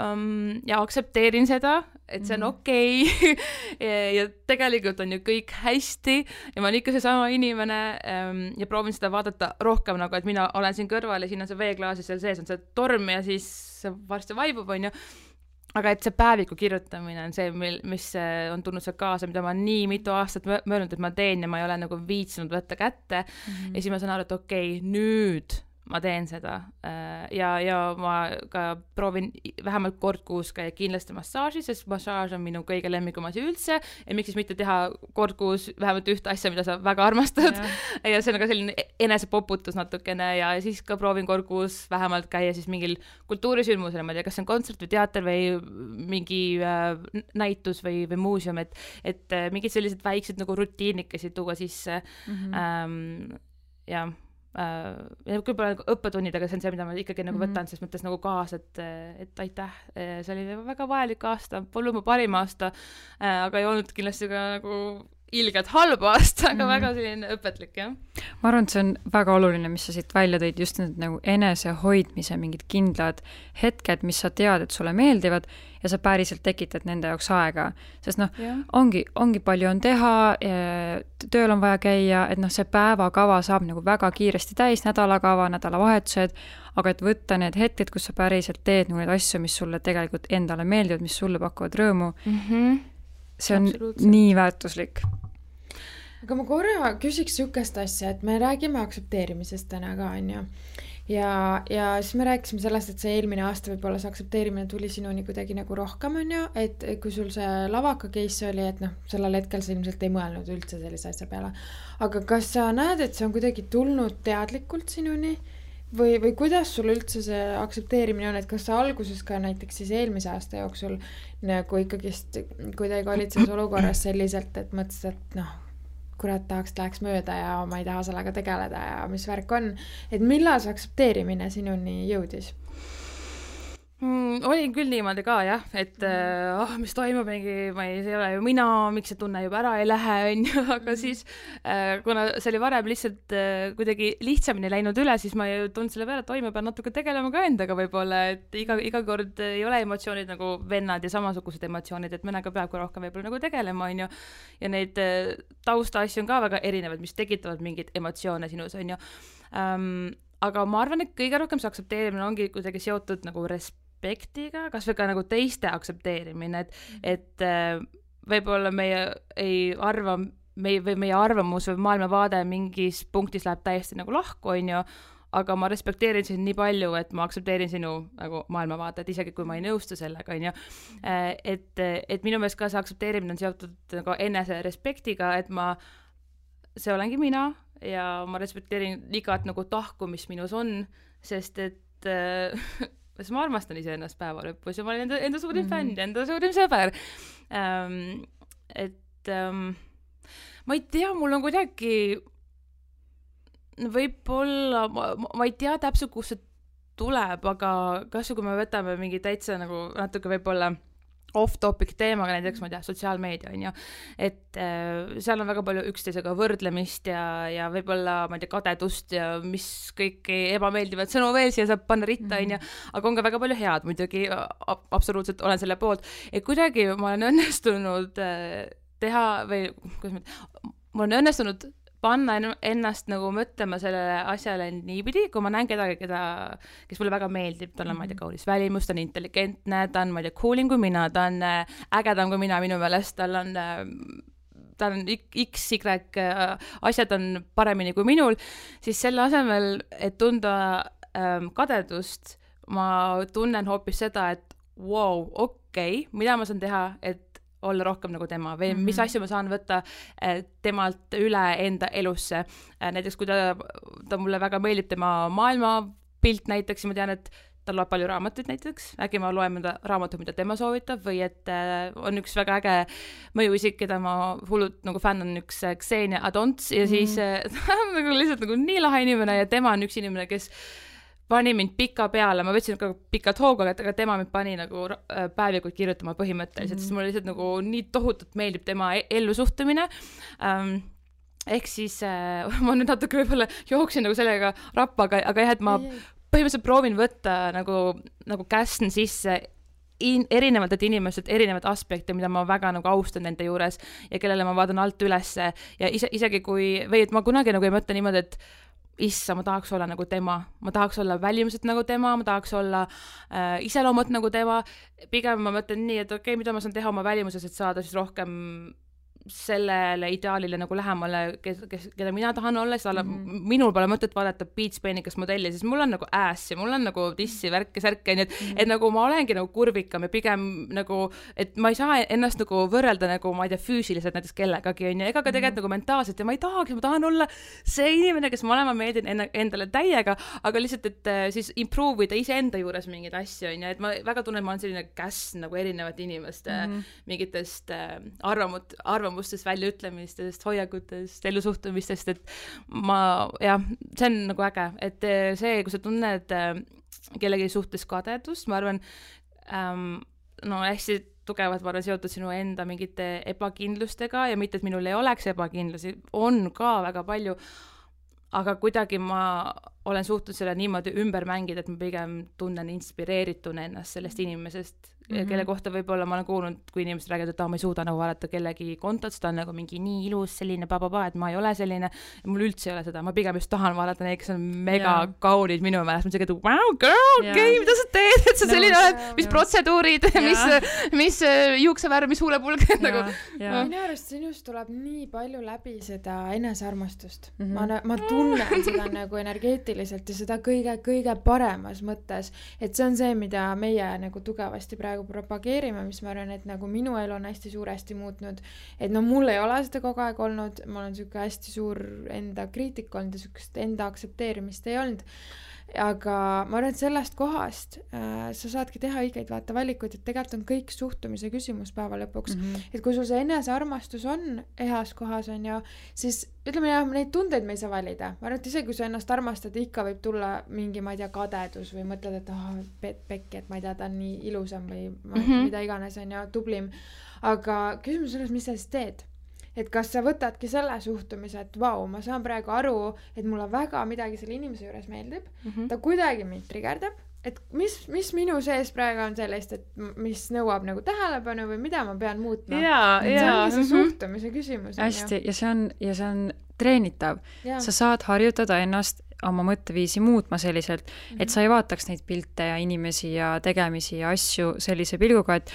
um, ja aktsepteerin seda, et see on okei okay. ja, ja tegelikult on ju kõik hästi ja ma olen ikka seesama inimene um, ja proovin seda vaadata rohkem nagu, et mina olen siin kõrval ja siin on see veeklaas ja seal sees on see torm ja siis see varsti vaibub, on ju. Aga et see päeviku kirjutamine on see, mil, mis on tulnud seal kaasa, mida ma nii mitu aastat möönud, et ma teen ja ma ei ole nagu viitsinud võtta kätte mm-hmm. ja siis ma saan aru, et okei, okay, nüüd ma teen seda ja, ja ma ka proovin vähemalt kord kuus käia kindlasti massaaži, sest massaaž on minu kõige lemmikum asi üldse ja miks siis mitte teha kord kuus vähemalt ühte asja, mida sa väga armastad ja, ja see on ka selline enesepoputus natukene ja siis ka proovin kord kuus vähemalt käia siis mingil kultuurisündmusel, ma ei tea, kas see on kontsert või teater või mingi äh, näitus või, või muuseum, et, et äh, mingid sellised väiksed nagu rutiinikesi tuua sisse mm-hmm. ähm, ja ja küll pole õppetunnid, aga see on see, mida ma ikkagi nagu võtan, sest mõttes nagu kaasa, et, et aitäh, see oli väga vajalik aasta, polnud mu parim aasta, aga ei olnud kindlasti ka nagu ilgelt halb aasta, aga mm. väga selline õpetlik, jah. Ma arvan, et see on väga oluline, mis sa siit välja tõid, just need nagu enesehoidmise mingid kindlad hetked, mis sa tead, et sulle meeldivad ja sa päriselt tekitad nende jaoks aega, sest noh, yeah. ongi, ongi palju on teha, tööl on vaja käia, et noh, see päevakava saab nagu väga kiiresti täis, nädalakava, nädalavahetused, aga et võtta need hetked, kus sa päriselt teed nagu need asju, mis sulle tegelikult endale meeldivad, mis sulle pakuvad rõõmu, mm-hmm. see on nii väärtuslik. Aga ma korra küsiks sükest asja, et me räägime aktsepteerimisest täna ka, on ju. Ja, ja siis me rääkisime sellest, et see eelmine aasta võib-olla see aktsepteerimine tuli sinuni kuidagi nagu rohkem, on ju, et kui sul see lavaka case oli, et noh, sellel hetkel sa ilmselt ei mõelnud üldse sellise asja peale. Aga kas sa näed, et see on kuidagi tulnud teadlikult sinuni? Või, või kuidas sul üldse see aktsepteerimine on, et kas sa alguses ka näiteks siis eelmise aasta jooksul nagu ikkagist kuidagi olid selles olukorras selliselt, et mõtlesid, et noh, kurat tahaks, läheks mööda ja ma ei taha sellega tegeleda ja mis värk on, et millal see aktsepteerimine sinuni jõudis? Mm, olin küll niimoodi ka jah, et mm. oh, mis toimub, mingi, ma ei, see ei ole ju mina, miks see tunne juba ära ei lähe, on ju, aga siis äh, kuna see oli varem lihtsalt äh, kuidagi lihtsamini läinud üle, siis ma ei tundnud selle peale, et oi, ma pean natuke tegelema ka endaga võib-olla, et iga, iga kord ei ole emotsioonid nagu vennad ja samasugused emotsioonid, et mõnega peab ka rohkem võib-olla nagu tegelema, on ju, ja neid äh, tausta asju on ka väga erinevad, mis tekitavad mingeid emotsioone sinus, on ju um, aga ma arvan, et kõige rohkem see aktsepteerimine ongi kuidagi seotud nagu respekt aspektiga, kas või ka nagu teiste aktsepteerimine, et, et võib-olla meie ei arva, meie, või meie arvamus või maailmavaade mingis punktis läheb täiesti nagu lahku, on ju, aga ma respekteerin sind nii palju, et ma aktsepteerin sinu nagu maailmavaadet, isegi kui ma ei nõustu sellega, on ju. Et, et minu meelest ka see aktsepteerimine on seotud nagu enese respektiga, et ma, see olengi mina ja ma respekteerin igat nagu tahku, mis minus on, sest et sest ma armastan iseennast päeva lõpus ja ma olen enda, enda suurim mm-hmm. fänn, enda suurim sõber. Um, et um, ma ei tea, mul on kuidagi võib-olla, ma, ma ei tea täpselt, kus see tuleb, aga kas kui me võtame mingi täitsa nagu natuke võib-olla off-topic teemaga, näiteks ma ei tea, sotsiaalmeedia on ju, et äh, seal on väga palju üksteisega võrdlemist ja, ja võib-olla, ma ei tea, kadedust ja mis kõiki ebameeldivad sõnu veel siia saab panna ritta on ju, aga on ka väga palju head muidugi, absoluutselt olen selle poolt, et kuidagi ma olen õnnestunud äh, teha või kuidas ma, ma olen õnnestunud panna ennast nagu mõtlema sellele asjale niipidi, kui ma näen kedagi, keda, kes mulle väga meeldib, tal on, ma ei tea, kaunis välimus, ta on intelligentne, ta on, ma ei tea, coolim kui mina, ta on ägedam kui mina minu meelest, tal on, ta on X, Y, asjad on paremini kui minul, siis selle asemel, et tunda ähm, kadedust, ma tunnen hoopis seda, et wow, okei okay,, mida ma saan teha, et olla rohkem nagu tema või mm-hmm. mis asju ma saan võtta temalt üle enda elusse. Näiteks kui ta, ta mulle väga meeldib tema maailmapilt näiteks, ma tean, et ta loeb palju raamatuid näiteks, äkki ma loen mõnda raamatut, mida tema soovitab või et on üks väga äge mõjuisik, keda ma hullult nagu fänn on üks Xenia Adonts ja mm-hmm. siis ta on nagu lihtsalt nagu nii lahe inimene ja tema on üks inimene, kes pani mind pika peale, ma võtsin ka pikalt hoogu, aga tema mind pani nagu päevikud kirjutama põhimõtteliselt, mm-hmm. sest mulle lihtsalt nagu nii tohutult meeldib tema ellusuhtumine. Um, ehk siis äh, ma nüüd natuke võib-olla jooksin nagu sellega rappa, aga, aga jah, et ma põhimõtteliselt proovin võtta nagu, nagu käsn sisse in, erinevatelt inimestelt erinevad aspekte, mida ma väga nagu austan nende juures ja kellele ma vaatan alt ülesse ja ise, isegi kui, või et ma kunagi nagu ei mõtle niimoodi, et issa, ma tahaks olla nagu tema, ma tahaks olla välimuselt nagu tema, ma tahaks olla äh, iseloomult nagu tema, pigem ma mõtlen nii, et okei okay,, mida ma saan teha oma välimuses, et saada siis rohkem sellele ideaalile nagu lähemale, kes, kes, keda mina tahan olla, siis alla, mm-hmm. minul pole mõtet vaadata beach peenikast modelli, siis mul on nagu ass ja mul on nagu tissi, värk ja särk, nii et, mm-hmm. et nagu ma olengi nagu kurvikam ja pigem nagu, et ma ei saa ennast nagu võrrelda nagu, ma ei tea, füüsiliselt näiteks kellegagi, on ju, ega ka tegelikult mm-hmm. nagu mentaalselt ja ma ei tahaks, ma tahan olla see inimene, kes ma olen, ma meeldin enda, endale täiega, aga lihtsalt, et siis improve ida iseenda juures mingeid asju, on ju, et ma väga tunnen, ma olen selline käsn nagu erinevate inimeste mm-hmm. mingitest äh, arvamut, arvamut arvamustest, väljaütlemistest, hoiakutest, ellusuhtumistest, et ma, jah, see on nagu äge, et see, kui sa tunned kellegi suhtes kadedust, ma arvan, ähm, no hästi tugevalt, ma arvan, seotud sinu enda mingite ebakindlustega ja mitte, et minul ei oleks ebakindlusi, on ka väga palju, aga kuidagi ma olen suhtunud selle niimoodi ümber mängida, et ma pigem tunnen inspireerituna ennast sellest inimesest, mm-hmm. kelle kohta võib-olla ma olen kuulnud, kui inimesed räägivad, et ah, ma ei suuda nagu vaadata kellegi kontot, ta on nagu mingi nii ilus, selline bababa, et ma ei ole selline, mul üldse ei ole seda, ma pigem just tahan vaadata neid, kes on mega yeah. kaunid minu meelest, ma siuke, wow, girl, okei, okay, mida sa teed, et sa no, selline oled, mis yeah. protseduurid yeah., mis, mis juuksevärv, mis huulepulg, yeah. nagu yeah. minu arust sinust tuleb nii palju läbi seda enesearmastust, mm-hmm. ma, ma tunnen seda nagu energeetiliselt ja seda kõige, kõige paremas mõttes, et see on see, mida meie nagu tugevasti praegu propageerime, mis ma arvan, et nagu minu elu on hästi suuresti muutnud, et no mul ei ole seda kogu aeg olnud, ma olen siuke hästi suur enda kriitik olnud ja siukest enda aktsepteerimist ei olnud, aga ma arvan, et sellest kohast äh, sa saadki teha õigeid vaata valikuid, et tegelikult on kõik suhtumise küsimus päeva lõpuks, mm-hmm. et kui sul see enesearmastus on heas kohas on ju, siis ütleme jah, neid tundeid me ei saa valida, ma arvan, et isegi kui sa ennast armastad, ikka võib tulla mingi, ma ei tea, kadedus või mõtled, et oh, pekki, et ma ei tea, ta on nii ilusam või ma, mm-hmm. mida iganes on ju, tublim, aga küsimus selles, mis sa siis teed? Et kas sa võtadki selle suhtumise, et vau, ma saan praegu aru, et mulle väga midagi selle inimese juures meeldib, mm-hmm. ta kuidagi mind trigerdab, et mis, mis minu sees praegu on sellest, et mis nõuab nagu tähelepanu või mida ma pean muutma. Jaa, et see ongi see suhtumise küsimus. Hästi, ja see on, ja see on treenitav. Ja. Sa saad harjutada ennast oma mõtteviisi muutma selliselt, mm-hmm. et sa ei vaataks neid pilte ja inimesi ja tegemisi ja asju sellise pilguga, et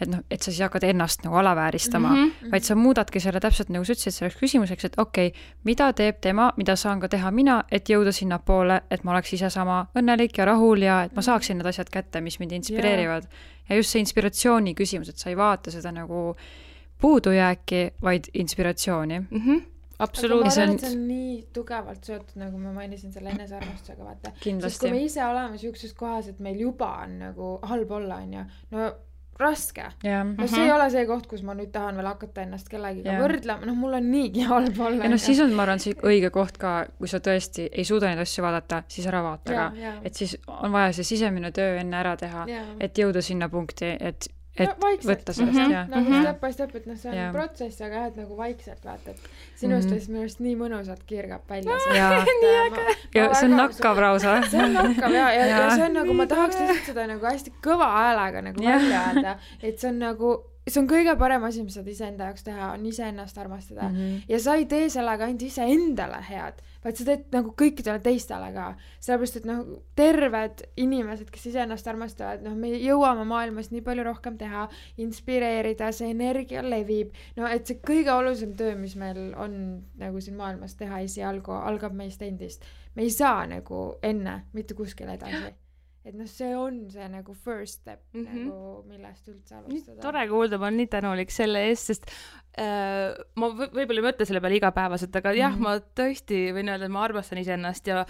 et noh, et sa siis hakkad ennast nagu alavääristama, mm-hmm. vaid sa muudadki selle täpselt nagu sa ütlesid selleks küsimuseks, et okei, okay, mida teeb tema, mida saan ka teha mina, et jõuda sinna poole, et ma oleks ise sama õnnelik ja rahul ja et ma saaksin need asjad kätte, mis mind inspireerivad. Yeah. Ja just see inspiratsiooni küsimus, et sa ei vaata seda nagu puudujääki, vaid inspiratsiooni. Mm-hmm. Absoluutselt. Aga ma arvan, et see on nii tugevalt seotud, nagu ma mainisin selle enesearmastusega, vaata. Kindlasti. Sest kui me ise oleme siukses kohas, et meil juba on nagu halb olla, on ju, no raske. Yeah. No see mm-hmm. ei ole see koht, kus ma nüüd tahan veel hakata ennast kellegiga yeah. võrdlema, noh mul on niigi halb olla. Ja noh, siis on, ma arvan, see õige koht ka, kui sa tõesti ei suuda neid asju vaadata, siis ära vaata yeah, ka. Yeah. Et siis on vaja see sisemine töö enne ära teha, yeah. et jõuda sinna punkti, et et no, võtta sellest mm-hmm. ja nagu mm-hmm. step by step, et noh, see on yeah. protsess, aga et nagu vaikselt vaata, et sinust mm-hmm. minu arust nii mõnusalt kirgab välja see. Ja, ma, ja see on nakkav rausa. See on nakkav ja, ja, ja. ja see on nagu, ma tahaks lihtsalt seda nagu hästi kõva häälega nagu yeah. välja öelda, et see on nagu see on kõige parem asi, mis saad iseenda jaoks teha, on iseennast armastada mm-hmm. ja sa ei tee sellega ainult iseendale head, vaid sa teed nagu kõikidele teistele ka, sellepärast, et noh, terved inimesed, kes iseennast armastavad, noh, me jõuame maailmas nii palju rohkem teha, inspireerida, see energia levib, no et see kõige olulisem töö, mis meil on nagu siin maailmas teha esialgu, algab meist endist. Me ei saa nagu enne mitte kuskil edasi. Et noh, see on see nagu first step mm-hmm. nagu millest üldse alustada. Nii tore kuulda, ma olen nii tänulik selle eest, sest äh, ma v- võib-olla ei mõtle selle peale igapäevaselt, aga mm-hmm. jah, ma tõesti võin öelda, et ma armastan iseennast ja,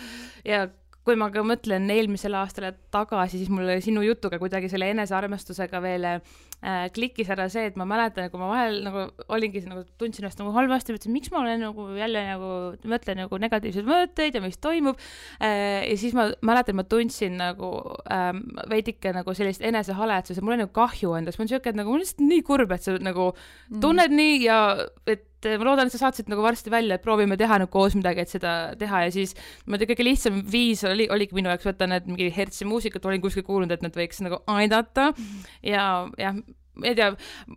ja kui ma ka mõtlen eelmisele aastale tagasi, siis mul sinu jutuga kuidagi selle enesearmastusega veel äh, klikkis ära see, et ma mäletan, kui ma vahel nagu olingi nagu tundsin ennast nagu halvasti, mõtlesin, miks ma olen nagu jälle nagu mõtlen nagu negatiivseid mõtteid ja mis toimub äh, ja siis ma mäletan, ma tundsin nagu ähm, veidike nagu sellist enesehaletsus ja mul on nagu kahju endast, mul on siuke, et nagu mul on lihtsalt nii kurb, et sa nagu tunned mm. nii ja et ma loodan, et sa saatsid nagu varsti välja, et proovime teha nagu koos midagi, et seda teha ja siis ma tean, kõige lihtsam viis oli, oligi minu jaoks võtta need mingi hertsi muusikat, olin kuskil kuulnud, et nad võiks nagu aidata mm. ja, ja ei tea,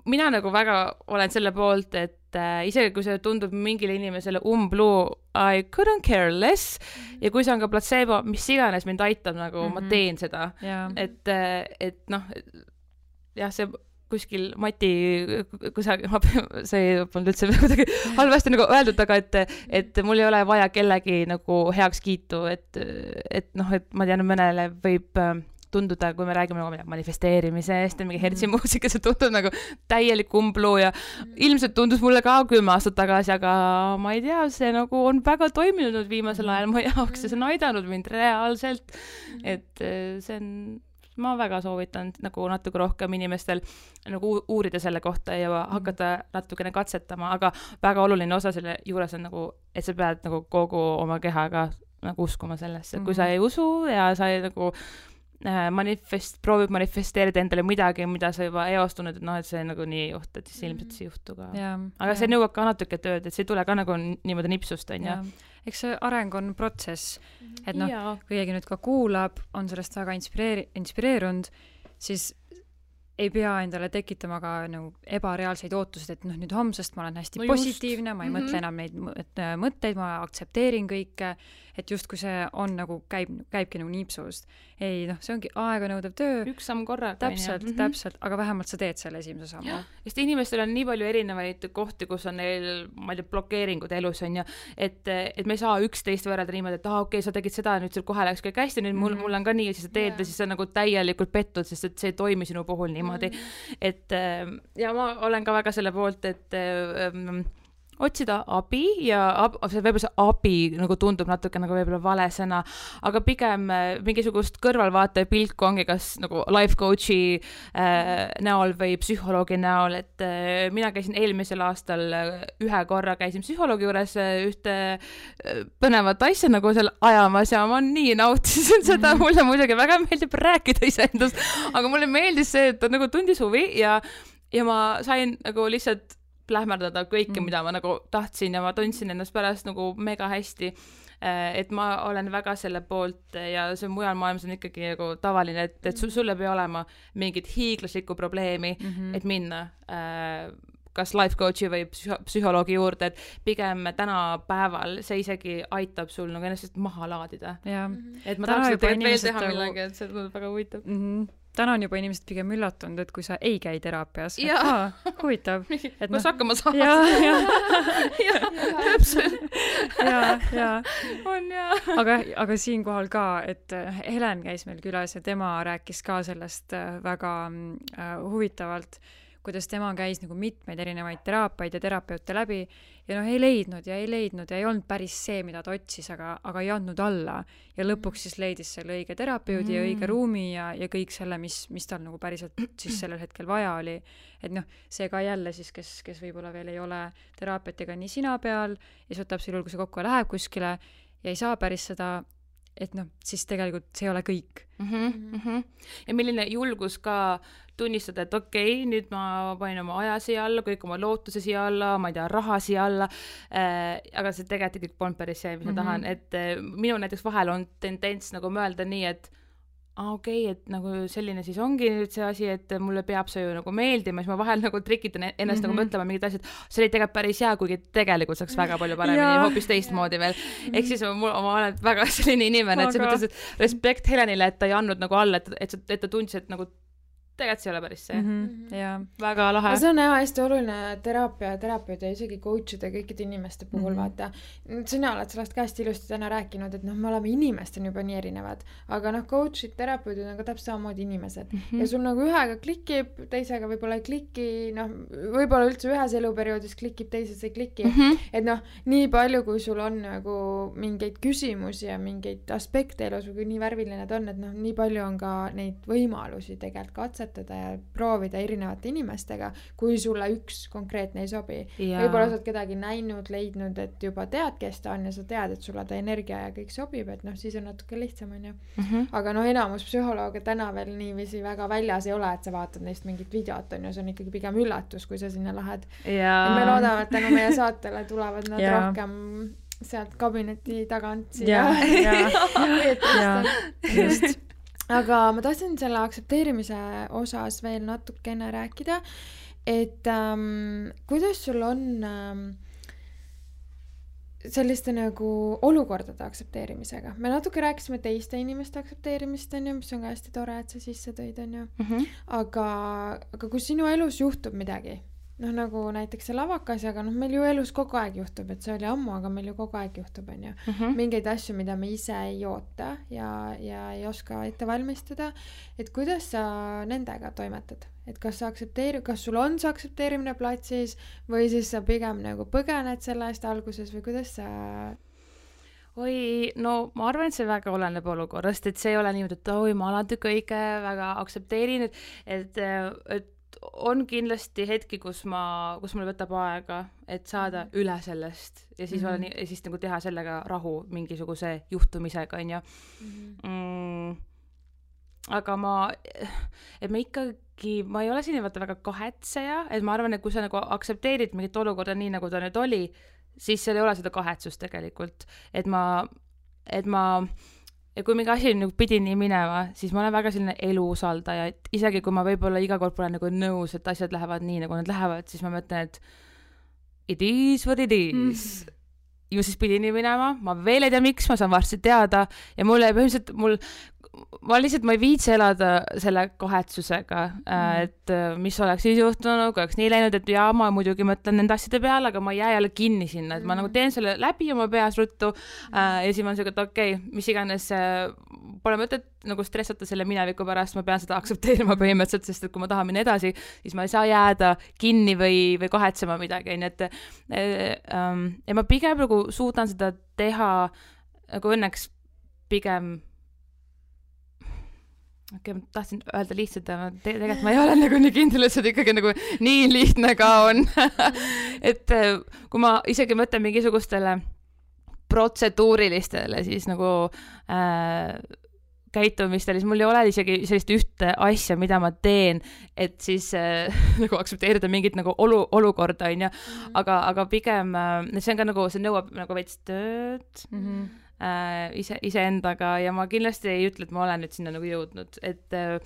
mina nagu väga olen selle poolt, et äh, isegi kui see tundub mingile inimesele umbluu, I couldn't care less mm. ja kui see on ka placebo, mis iganes mind aitab, nagu mm-hmm. ma teen seda yeah. et, et noh, jah, see kuskil Mati, kui sa, see ei olnud üldse kuidagi halvasti nagu öeldud, aga et, et mul ei ole vaja kellegi nagu heaks kiitu, et, et noh, et ma tean, mõnele võib tunduda, kui me räägime nagu manifesteerimisest ja mingi hertsi muusika, see tundub nagu täielik umbluu ja ilmselt tundus mulle ka kümme aastat tagasi, aga ma ei tea, see nagu on väga toiminud viimasel ajal mu jaoks ja see on aidanud mind reaalselt, et see on ma väga soovitan nagu natuke rohkem inimestel nagu uurida selle kohta ja hakata natukene katsetama, aga väga oluline osa selle juures on nagu, et sa pead nagu kogu oma kehaga nagu uskuma sellesse, et kui sa ei usu ja sa ei nagu äh, manifest, proovib manifesteerida endale midagi, mida sa juba eostunud, et noh, et see nagu nii ei juhtu, et siis ilmselt see juhtu ka. Ja, aga see nõuab ka natuke tööd, et see ei tule ka nagu niimoodi nipsust, on ja. Eks see areng on protsess, et noh, kui keegi nüüd ka kuulab, on sellest väga inspireeri- inspireerunud, siis ei pea endale tekitama ka nagu ebareaalseid ootused, et noh, nüüd homsest ma olen hästi no positiivne, ma ei mm-hmm. mõtle enam neid mõtteid, ma aktsepteerin kõike, et just kui see on nagu käib, käibki nagu niipsust. Ei, noh, see ongi aega nõudev töö. Üks samm korraga. Täpselt, mm-hmm. täpselt, aga vähemalt sa teed selle esimese sammu. Sest inimestel on nii palju erinevaid kohti, kus on neil, ma ei tea, blokeeringud elus on ja et, et me ei saa üksteist võrrelda niimoodi, et ah, okei, okay, sa tegid seda, nüüd sul kohe läks kõik hästi, nüüd mul, mul on ka nii, ja siis sa teed yeah. ja siis sa nagu täielikult pettud, sest et see ei toimi sinu puhul niimoodi. Mm-hmm. Et ja ma olen ka väga selle poolt, et ähm, otsida abi ja ab, võib-olla see abi nagu tundub natuke nagu võib-olla vale sõna, aga pigem mingisugust kõrvalvaataja pilku ongi kas nagu life coach'i äh, näol või psühholoogi näol, et äh, mina käisin eelmisel aastal ühe korra käisin psühholoogi juures ühte põnevat asja nagu seal ajamas ja ma nii nautisin seda, mulle muidugi väga meeldib rääkida iseendast, aga mulle meeldis see, et ta nagu tundis huvi ja, ja ma sain nagu lihtsalt plähmerdada kõike, mm. mida ma nagu tahtsin ja ma tundsin ennast pärast nagu mega hästi, et ma olen väga selle poolt ja see mujal maailmas on ikkagi nagu tavaline, et, et sul ei pea olema mingit hiiglaslikku probleemi, mm-hmm. et minna äh, kas life coach'i või psüh- psühholoogi juurde, et pigem tänapäeval see isegi aitab sul nagu ennast maha laadida. Ja. Et ma tahaks seda veel teha millega, et see on väga huvitav. Mm-hmm. Täna on juba inimesed pigem üllatunud, et kui sa ei käi teraapias. Ja. Ah, huvitav. Et kus no, hakkama saad. Ja, ja. ja, täpselt. ja, ja. On ja. Aga, aga siinkohal ka, et Helen käis meil külas ja tema rääkis ka sellest väga uh, huvitavalt, kuidas tema käis nagu mitmeid erinevaid teraapiaid ja terapeute läbi ja noh, ei leidnud ja ei leidnud ja ei olnud päris see, mida ta otsis, aga, aga ei andnud alla ja lõpuks siis leidis selle õige terapeudi mm. ja õige ruumi ja, ja kõik selle, mis, mis tal nagu päriselt siis sellel hetkel vaja oli. Et noh, see ka jälle siis, kes, kes võib-olla veel ei ole teraapiatega nii sina peal ja siis võtab selle juhul, kui see kokku läheb kuskile ja ei saa päris seda, et noh, siis tegelikult see ei ole kõik. Mm-hmm, mm-hmm. Ja milline julgus ka tunnistada, et okei, okay, nüüd ma panin oma aja siia alla, kõik oma lootuse siia alla, ma ei tea, raha siia alla, äh, aga see tegelikult kõik polnud päris see, mis mm-hmm. ma tahan, et äh, minu näiteks vahel on tendents nagu mõelda nii, et ah, okei, okay, et nagu selline siis ongi nüüd see asi, et mulle peab see ju nagu meeldima, siis ma vahel nagu trikitan ennast mm-hmm. nagu mõtlema mingid asjad, see oli tegelikult päris hea, kuigi tegelikult saaks väga palju paremini, hoopis teistmoodi veel. Ehk siis ma, ma olen väga selline inimene, et see mõttes, et respekt Helenile, et ta ei andnud nagu alla, et, et, et ta tundis, et nagu tegelikult see ei ole päris see. Mm-hmm. Ja. Väga lahe. See on jah hästi oluline teraapia, terapeud ja isegi coach'ide kõikide inimeste puhul mm-hmm. vaata. Sina oled sellest käest ilusti täna rääkinud, et noh, me oleme inimestena juba nii erinevad, aga noh, coach'id, terapeudid on ka täpselt samamoodi inimesed mm-hmm. ja sul nagu ühega klikib, teisega võib-olla ei kliki, noh, võib-olla üldse ühes eluperioodis klikib, teises ei kliki mm-hmm. et noh, nii palju, kui sul on nagu mingeid küsimusi ja mingeid aspekte elus, kui nii värviline ta on, et noh, nii palju on ka neid võimalusi tegelikult katsetada ja proovida erinevate inimestega, kui sulle üks konkreetne ei sobi. Ja. Võib-olla sa oled kedagi näinud, leidnud, et juba tead, kes ta on ja sa tead, et sulle ta energia ja kõik sobib, et noh, siis on natuke lihtsam, on ju. Mm-hmm. Aga noh, enamus psühholooge täna veel niiviisi väga väljas ei ole, et sa vaatad neist mingit videot, on ju, see on ikkagi pigem üllatus, kui sa sinna lähed. Ja, ja me loodame, et tänu meie saatele tulevad nad ja. rohkem sealt kabineti tagant siia. Ja, ja. ja. just. Aga ma tahtsin selle aktsepteerimise osas veel natukene rääkida, et ähm, kuidas sul on ähm, selliste nagu olukordade aktsepteerimisega. Me natuke rääkisime teiste inimeste aktsepteerimist, on ju, mis on ka hästi tore, et sa sisse tõid, on ju. Mm-hmm. Aga, aga kui sinu elus juhtub midagi, noh nagu näiteks see lavakas, aga noh, meil ju elus kogu aeg juhtub, et see oli ammu, aga meil ju kogu aeg juhtub, on ju. Mm-hmm. Mingeid asju, mida me ise ei oota ja, ja ei oska ette valmistada, et kuidas sa nendega toimetad? Et kas sa aktsepteeri, kas sul on see aktsepteerimine platsis või siis sa pigem nagu põgened selle eest alguses või kuidas sa... Oi, no ma arvan, et see väga oleneb olukorrast, et see ei ole niimoodi, et oi, ma alati kõike väga aktsepteerin, et, et, et on kindlasti hetki, kus ma, kus mul võtab aega, et saada üle sellest ja siis, mm-hmm. olla, ja siis nagu teha sellega rahu mingisuguse juhtumisega, on ju. Mm-hmm. Mm, aga ma, et ma ikkagi, ma ei ole siin vaata väga kahetseja, et ma arvan, et kui sa nagu aktsepteerid mingit olukorda nii, nagu ta nüüd oli, siis seal ei ole seda kahetsust tegelikult, et ma, et ma ja kui mingi asi nagu pidi nii minema, siis ma olen väga selline eluusaldaja, et isegi kui ma võib-olla iga kord pole nagu nõus, et asjad lähevad nii, nagu nad lähevad, siis ma mõtlen, et it is what it is. Mm. Ju siis pidi nii minema, ma veel ei tea, miks, ma saan varsti teada ja mulle põhimõtteliselt, mul, ma lihtsalt, ma ei viitsi elada selle kahetsusega, mm. et mis oleks siis juhtunud, kui oleks nii läinud, et jaa, ma muidugi mõtlen nende asjade peale, aga ma ei jää jälle kinni sinna, et mm. ma nagu teen selle läbi oma peas ruttu mm. äh, ja siis ma olen sellega, et okei, okay, mis iganes äh, pole mõtet nagu stressata selle mineviku pärast, ma pean seda aktsepteerima põhimõtteliselt, sest et kui ma tahan minna edasi, siis ma ei saa jääda kinni või, või kahetsema midagi, nii et äh, ähm, ja ma pigem nagu suudan seda teha nagu õnneks pigem okei, okay, ma tahtsin öelda lihtsalt, aga te- tegelikult ma ei ole nagu nii kindel, et see ikkagi nagu nii lihtne ka on. et kui ma isegi mõtlen mingisugustele protseduurilistele siis nagu äh, käitumistele, siis mul ei ole isegi sellist ühte asja, mida ma teen, et siis äh, nagu aktsepteerida mingit nagu olu, olukorda, on ju. Aga, aga pigem, äh, see on ka nagu, see nõuab nagu veits tööd. Mm-hmm. Äh, ise, iseendaga ja ma kindlasti ei ütle, et ma olen nüüd sinna nagu jõudnud, et äh,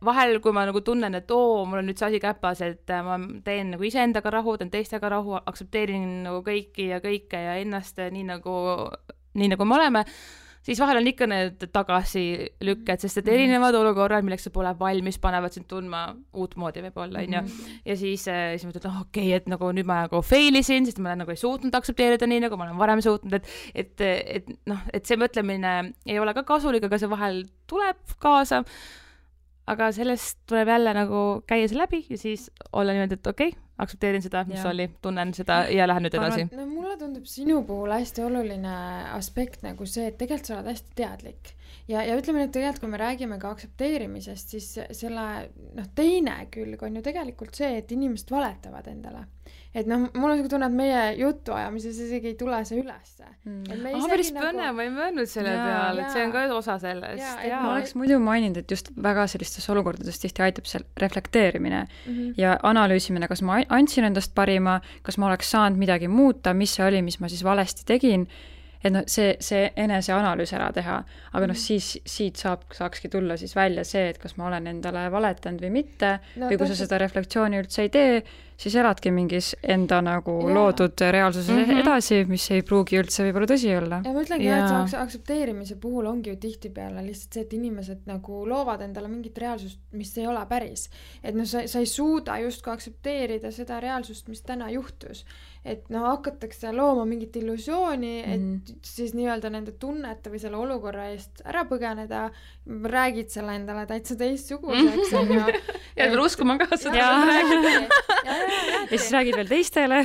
vahel, kui ma nagu tunnen, et oo, mul on nüüd see asi käpas, et äh, ma teen nagu iseendaga rahu, teen teistega rahu, aktsepteerin nagu kõiki ja kõike ja ennast nii nagu, nii nagu me oleme, siis vahel on ikka need tagasilükked, sest et erinevad olukorrad, milleks sa pole valmis, panevad sind tundma uut moodi võib-olla, on ju. Ja siis, siis ma ütlen, oh, okei, okay, et nagu nüüd ma nagu failisin, sest ma nagu ei suutnud aktsepteerida nii, nagu ma olen varem suutnud, et, et, et, noh, et see mõtlemine ei ole ka kasulik, aga see vahel tuleb kaasa. aga sellest tuleb jälle nagu käia see läbi ja siis olla niimoodi, et okei okay,, aktsepteerin seda, mis ja. oli, tunnen seda ja lähen nüüd edasi. No mulle tundub sinu puhul hästi oluline aspekt nagu see, et tegelikult sa oled hästi teadlik. Ja, ja ütleme nüüd tegelikult, kui me räägime ka aktsepteerimisest, siis selle noh, teine külg on ju tegelikult see, et inimesed valetavad endale. Et noh, mul on tunne, et meie jutu ajamises isegi ei tule see ülesse. Mm. Ah, päris nagu... põne, ma ei mõelnud selle ja, peal, et see on ka osa sellest. Ja, ja. Ma oleks muidu maininud, et just väga sellistes olukordades tihti aitab seal reflekteerimine mm-hmm. ja analüüsimine, kas ma andsin endast parima, kas ma oleks saanud midagi muuta, mis see oli, mis ma siis valesti tegin. Et noh, see, see eneseanalüüs ära teha, aga noh, siis siit saab, saakski tulla siis välja see, et kas ma olen endale valetanud või mitte no, või kui sa seda reflektsiooni üldse ei tee, siis eladki mingis enda nagu ja. loodud reaalsuses mm-hmm. edasi, mis ei pruugi üldse võib-olla tõsi olla. Ja ma ütlengi, ja. et see aktsepteerimise puhul ongi ju tihtipeale lihtsalt see, et inimesed nagu loovad endale mingit reaalsust, mis ei ole päris. Et noh, sa, sa ei suuda justkui aktsepteerida seda reaalsust, mis täna juhtus. Et noh, hakatakse looma mingit illusiooni, et mm. siis nii-öelda nende tunnete või selle olukorra eest ära põgeneda, räägid selle endale täitsa teistsuguseks. ja pead uskuma ka seda. Ja, ja, ja, ja siis räägid veel teistele.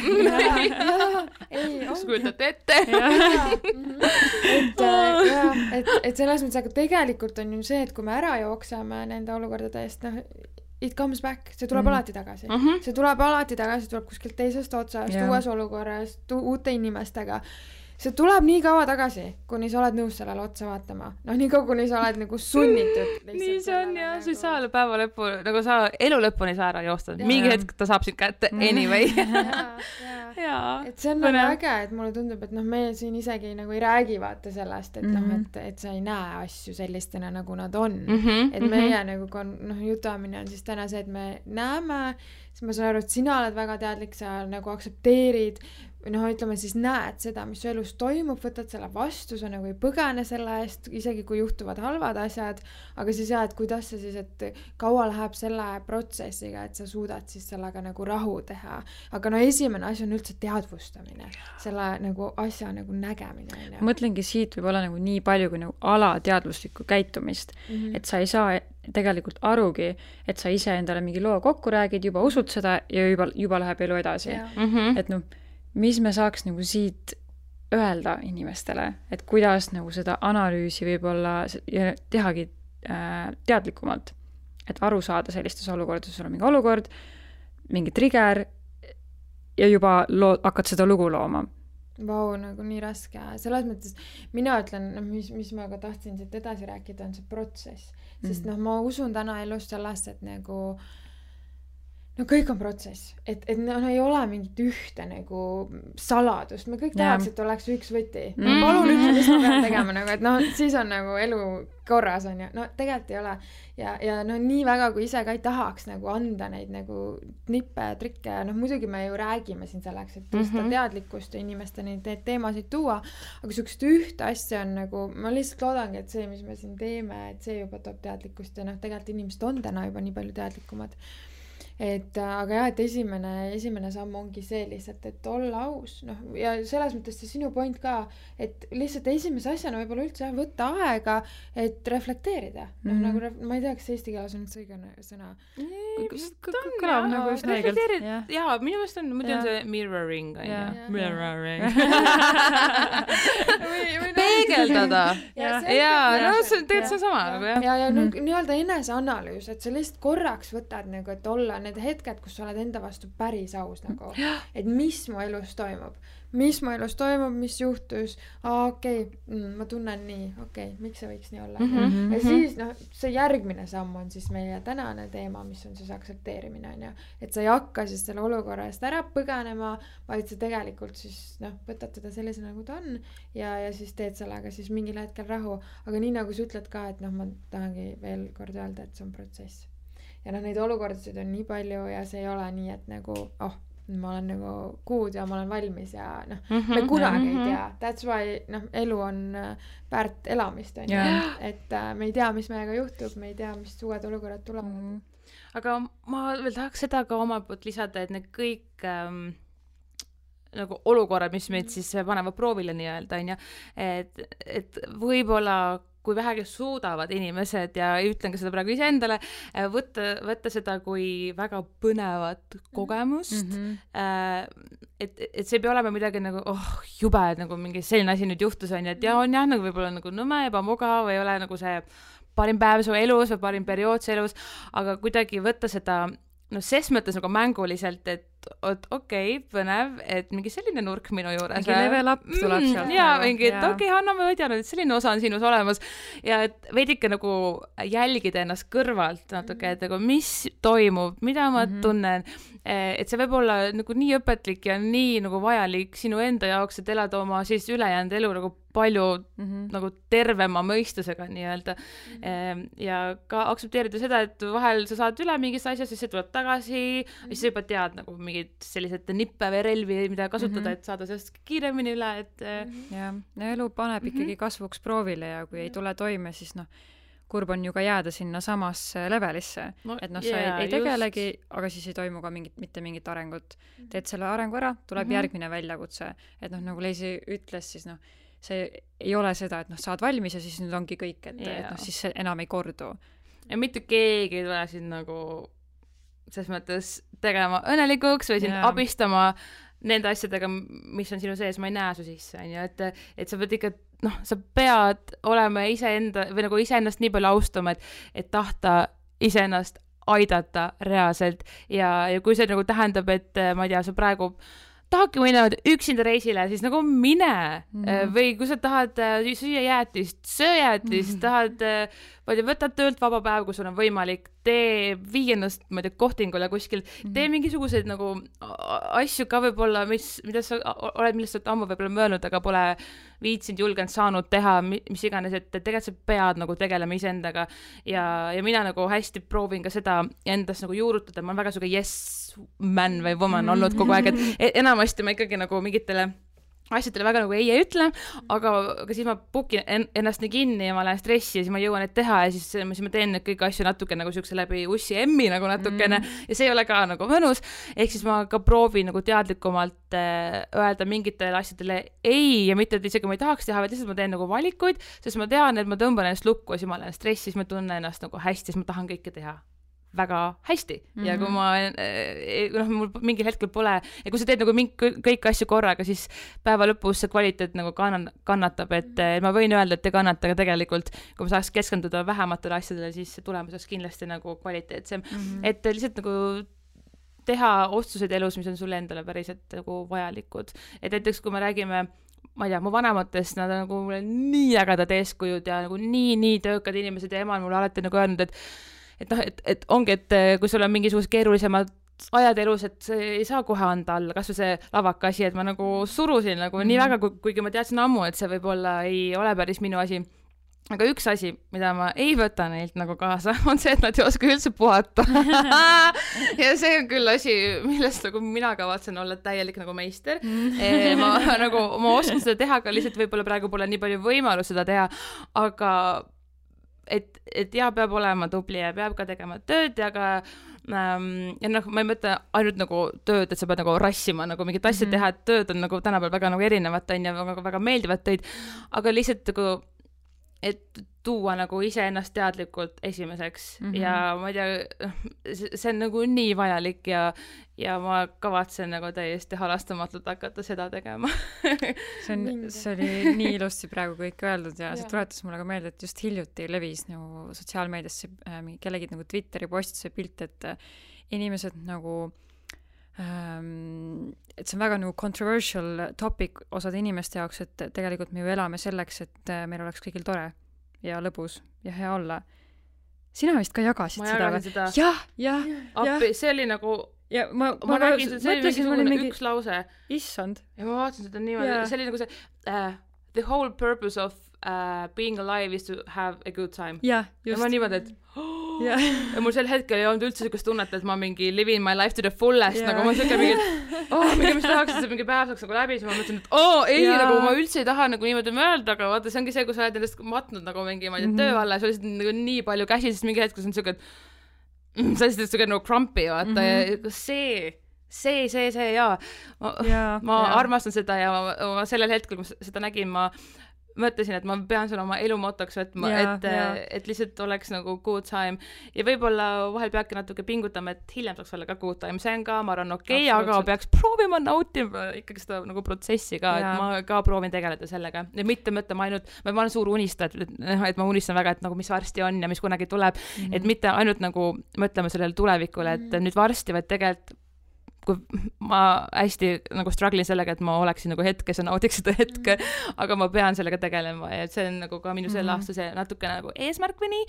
Kus kujutate ette. et, ja, et, et selles mõttes, aga tegelikult on ju see, et kui me ära jookseme nende olukordade eest, noh, it comes back, see tuleb mm. alati tagasi. Uh-huh. See tuleb alati tagasi, tuleb kuskilt teisest otsast, yeah. uues olukorras, uute inimestega. See tuleb nii kaua tagasi, kuni sa oled nõus sellele otsa vaatama. Noh, nii kaua, kuni sa oled nagu sunnitud. nii see on, jah. Nagu... sa ei saa päeva lõppu, nagu sa elu lõpuni saa ära joosta. Mingi hetk ta saab sind kätte anyway. ja, ja. ja. Et see on nagu äge, et mulle tundub, et noh, meie siin isegi nagu ei räägi vaata sellest, et mm-hmm. noh, et, et sa ei näe asju sellistena, nagu nad on. Mm-hmm. Et meie mm-hmm. nagu, kon, noh, jutamine on siis täna see, et me näeme, siis ma saan aru, et sina oled väga teadlik, sa nagu aktsepteerid noh, ütleme siis näed seda, mis su elus toimub, võtad selle vastu, sa nagu ei põgene selle eest, isegi kui juhtuvad halvad asjad, aga siis jah, et kuidas see siis, et kaua läheb selle protsessiga, et sa suudad siis sellega nagu rahu teha. Aga no esimene asi on üldse teadvustamine, selle nagu asja nagu nägemine. Ma mõtlengi siit võib olla nagu nii palju kui nagu alateadvuslikku käitumist, mm-hmm. et sa ei saa tegelikult arugi, et sa ise endale mingi loo kokku räägid, juba usud seda ja juba, juba läheb elu edasi. Mm-hmm. Et noh, mis me saaks nagu siit öelda inimestele, et kuidas nagu seda analüüsi võib-olla ja tehagi äh, teadlikumalt, et aru saada sellistes olukordades, sul on mingi olukord, mingi trigger ja juba loo, hakkad seda lugu looma. Vau, nagu nii raske. Selles mõttes mina ütlen, no, mis, mis ma ka tahtsin siit edasi rääkida, on see protsess. Sest mm. noh, ma usun täna elus sellest, et nagu no kõik on protsess, et, et no, no ei ole mingit ühte nagu saladust, me kõik tahaks, et oleks üks võti. No, palun ütle, mis ma pean tegema, nagu, et noh, siis on nagu elu korras on ju, no tegelikult ei ole. Ja, ja no nii väga, kui ise ka ei tahaks nagu anda neid nagu nippe ja trikke, noh muidugi me ju räägime siin selleks, et tõsta mm-hmm. teadlikkust ja inimeste neid teemasid tuua, aga sükest ühte asja on nagu, ma lihtsalt loodangi, et see, mis me siin teeme, et see juba toob teadlikkust ja noh, tegelikult inimesed on täna juba nii palju teadlikumad. Et, aga jah, et esimene, esimene samm ongi see lihtsalt, et olla aus, noh, ja selles mõttes see sinu point ka, et lihtsalt esimese asjana võib-olla üldse jah, võtta aega, et reflekteerida. Noh, mm-hmm. nagu, ref- ma ei tea, kas eesti keeles on üldse õige sõna. Kõlab nagu just reflekteerid, jaa, minu mõist on, muidu on see mirroring, on ju. Mirroring. Peegeldada. Jaa, no see on tegelikult sama. Ja, ja nii-öelda eneseanalüüs, et sa lihtsalt korraks võtad nagu, et olla need hetked, kus sa oled enda vastu päris aus nagu, et mis mu elus toimub, mis mu elus toimub, mis juhtus, aa okei, okay, ma tunnen nii, okei, okay, miks see võiks nii olla. Mm-hmm. Ja siis noh, see järgmine samm on siis meie tänane teema, mis on siis aktsepteerimine, on ju, et sa ei hakka siis selle olukorra eest ära põganema, vaid sa tegelikult siis noh, võtad teda sellise nagu ta on ja, ja siis teed sellega siis mingil hetkel rahu, aga nii nagu sa ütled ka, et noh, ma tahangi veel kord öelda, et see on protsess. Ja noh, neid olukordasid on nii palju ja see ei ole nii, et nagu, oh, ma olen nagu kuud ja ma olen valmis ja noh, mm-hmm, me kunagi mm-hmm. ei tea. That's why, noh, elu on väärt elamist, on yeah. et äh, me ei tea, mis meiega juhtub, me ei tea, mis uued olukorrad tulevad. Mm-hmm. Aga ma veel tahaks seda ka oma poolt lisada, et need kõik ähm, nagu olukorrad, mis meid siis panevad proovile nii-öelda, on ju, et, et võib-olla kui vähegi suudavad inimesed ja ütlen ka seda praegu iseendale, võtta, võtta seda kui väga põnevat kogemust mm. -hmm. et, et see ei pea olema midagi nagu, oh, jube, et nagu mingi selline asi nüüd juhtus on ja et ja on jah, nagu võib-olla nagu nõme, ebamugav või ei ole nagu see parim päev su elus või parim periood su elus, aga kuidagi võtta seda no ses mõttes nagu mänguliselt, et et okei, okay, põnev, et mingi selline nurk minu juures. Mingi level up tuleb mm, sealt. Jaa, mingi, et okei, okay, Hanna, ma ei teadnud, et selline osa on sinus olemas. Ja et veidike nagu jälgida ennast kõrvalt natuke, et nagu mis toimub, mida ma mm-hmm. tunnen, et see võib olla nagu nii õpetlik ja nii nagu vajalik sinu enda jaoks, et elada oma siis ülejäänud elu nagu palju mm-hmm. nagu tervema mõistusega nii-öelda mm-hmm. ja ka aktsepteerida seda, et vahel sa saad üle mingist asjast, siis see tuleb tagasi mm-hmm. ja siis sa juba tead nagu mingid sellised nippe või relvi, mida kasutada mm-hmm. et saada sellest kiiremini üle, et mm-hmm. jah, no elu paneb mm-hmm. ikkagi kasvuks proovile ja kui ei tule toime, siis noh, kurb on ju ka jääda sinna samasse levelisse no,, et noh, sa yeah, ei, ei tegelegi, aga siis ei toimu ka mingit, mitte mingit arengut. Teed selle arengu ära, tuleb mm-hmm. järgmine väljakutse, et noh, nagu Leisi ütles, siis noh, see ei ole seda, et noh, saad valmis ja siis nüüd ongi kõik, et, yeah. et noh, siis see enam ei kordu. Ja mitte keegi ei tule siin nagu selles mõttes tegema õnnelikuks või sind yeah. abistama nende asjadega, mis on sinu sees, ma ei näe su sisse, on ju, et, et sa pead ikka, noh, sa pead olema iseenda või nagu iseennast nii palju austama, et, et tahta iseennast aidata reaalselt ja, ja kui see nagu tähendab, et ma ei tea, sa praegu tahadki minna üksinda reisile, siis nagu mine mm. või kui sa tahad süüa jäätist, söö jäätist mm. tahad, ma ei tea, võtad töölt vaba päev, kui sul on võimalik, tee viiendast, ma ei tea, kohtingule kuskil mm. tee mingisuguseid nagu asju ka võib-olla, mis, mida sa oled, millest sa ammu võib-olla möönud, aga pole viitsinud, julgenud, saanud teha, mis iganes, et tegelikult sa pead nagu tegelema iseendaga ja, ja mina nagu hästi proovin ka seda endast nagu juurutada, ma olen väga suge yes man või woman mm. olnud kogu aeg, et enamasti ma ikkagi nagu mingitele asjadele väga nagu ei ei ütle, aga, aga siis ma pukin en, ennast nii kinni ja ma lähen stressi ja siis ma jõuan need teha ja siis, siis ma teen neid kõiki asju natuke nagu siukse läbi ussi emmi nagu natukene mm. ja see ei ole ka nagu mõnus, ehk siis ma ka proovin nagu teadlikumalt äh, öelda mingitele asjadele ei ja mitte, et isegi ma ei tahaks teha, vaid lihtsalt ma teen nagu valikuid, sest ma tean, et ma tõmban ennast lukku ja siis ma lähen stressi, siis ma tunnen ennast nagu hästi, siis ma tahan kõike teha väga hästi mm-hmm. ja kui ma noh, mul mingil hetkel pole ja kui sa teed nagu mingi kõik asju korraga, siis päeva lõpus see kvaliteet nagu kann- kannatab, et mm-hmm. ma võin öelda, et ei kannata, aga tegelikult kui ma saaks keskenduda vähematele asjadele, siis see tulemus oleks kindlasti nagu kvaliteetsem mm-hmm. et lihtsalt nagu teha otsuseid elus, mis on sulle endale päriselt nagu vajalikud, et näiteks kui me räägime ma ei tea, mu vanematest, nad on nagu nii ägedad eeskujud ja nagu nii, nii töökad inimesed ja ema on mulle alati nagu öelnud, et et noh, et, et ongi, et kui sul on mingisugused keerulisemad ajad elus, et see ei saa kohe anda alla, kas või see lavaka asi, et ma nagu surusin nagu mm-hmm. nii väga, kuigi ma teadsin ammu, et see võib-olla ei ole päris minu asi. Aga üks asi, mida ma ei võta neilt nagu kaasa, on see, et nad ei oska üldse puhata. ja see on küll asi, millest nagu mina kavatsen olla täielik nagu meister. e, ma, nagu, ma oskan seda teha, aga lihtsalt võib-olla praegu pole nii palju võimalus seda teha, aga et, et ja peab olema tubli ja peab ka tegema tööd ja ka ähm, ja noh, ma ei mõtle ainult nagu tööd, et sa pead nagu rassima nagu mingit asja mm-hmm. teha, et tööd on nagu tänapäeval väga nagu erinevat on ja väga, väga meeldivat töid, aga lihtsalt nagu et tuua nagu iseennast teadlikult esimeseks mm-hmm. ja ma ei tea, see on nagu nii vajalik ja, ja ma kavatsen nagu täiesti halastamatult hakata seda tegema. see on, see oli nii ilusti praegu kõik öeldud ja, ja see tuletas mulle ka meelde, et just hiljuti levis nagu sotsiaalmeediasse äh, kellegi nagu Twitteri postise pilt, et äh, inimesed nagu ähm, et see on väga nagu controversial topic osade inimeste jaoks, et tegelikult me ju elame selleks, et äh, meil oleks kõigil tore ja lõbus ja hea olla. Sina vist ka jagasid ma seda? seda. jah, jah, jah. See oli nagu ja ma, ma, ma räägin, see oli mingisugune mingi... üks lause. Issand. Ja ma vaatasin seda niimoodi, see oli nagu see uh, the whole purpose of uh, being alive is to have a good time. Ja, just. Ja ma niimoodi, et oh! ja. ja mul sel hetkel ei olnud üldse sellist tunnet, et ma mingi living my life to the fullest, ja. Nagu ma siuke mingi, oh, mingi, mis tahaks, et see mingi päev saaks nagu läbi, siis ma mõtlesin, et oo, oh, ei, ja. Nagu ma üldse ei taha nagu niimoodi mõelda, aga vaata, see ongi see, kui sa oled endast matnud nagu mingi, ma ei tea, mm-hmm. töö alla ja sul lihtsalt nagu nii palju käsi, siis mingi hetkel see on siuke, et mm, sa lihtsalt siuke nagu crumpy, vaata, mm-hmm. ja see see, see, see ja ma, ja, ma ja. armastan seda ja ma, ma sellel hetkel, kui ma seda nägin, ma mõtlesin, et ma pean selle oma elu motoks võtma, et, et lihtsalt oleks nagu good time ja võib-olla vahel peabki natuke pingutama, et hiljem saaks olla ka good time, see on ka, ma arvan, okei okay,, aga peaks proovima nautima ikkagi seda nagu protsessi ka, et ma ka proovin tegeleda sellega ja mitte mõtlema ainult, ma olen suur unistaja, et, et ma unistan väga, et nagu mis varsti on ja mis kunagi tuleb, mm-hmm. et mitte ainult nagu mõtlema sellele tulevikule, et mm-hmm. nüüd varsti, vaid tegelikult kui ma hästi nagu struggle'in sellega, et ma oleksin nagu hetkes ja naudiks seda hetke, mm-hmm. aga ma pean sellega tegelema ja see on nagu ka minu selle mm-hmm. aasta see natuke nagu eesmärk või nii,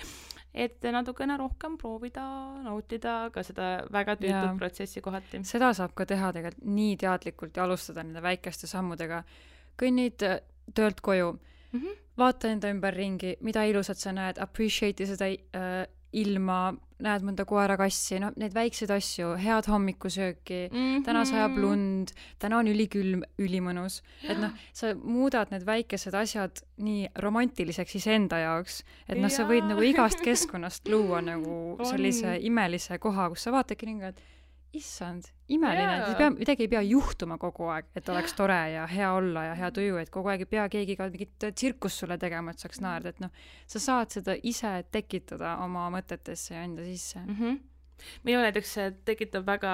et natukene rohkem proovida, nautida ka seda väga tüütud protsessi kohati. Seda saab ka teha tegelikult nii teadlikult ja alustada nende väikeste sammudega. Kõnnid töölt koju, mm-hmm. vaata enda ümber ringi, mida ilusat sa näed, appreciate'i seda äh, ilma, näed mõnda koera-kassi, no neid väikseid asju, head hommikusööki, mm-hmm. täna sajab lund, täna on ülikülm, ülimõnus, et noh, sa muudad need väikesed asjad nii romantiliseks iseenda jaoks, et noh, sa võid nagu igast keskkonnast luua nagu sellise imelise koha, kus sa vaatadki ringi, et issand, imeline, yeah. pea, midagi ei pea juhtuma kogu aeg, et oleks tore ja hea olla ja hea tuju, et kogu aeg ei pea keegi ka mingit tsirkust sulle tegema, et saaks naerda, et noh, sa saad seda ise tekitada oma mõtetesse ja enda sisse. Mm-hmm. Minu näiteks tekitab väga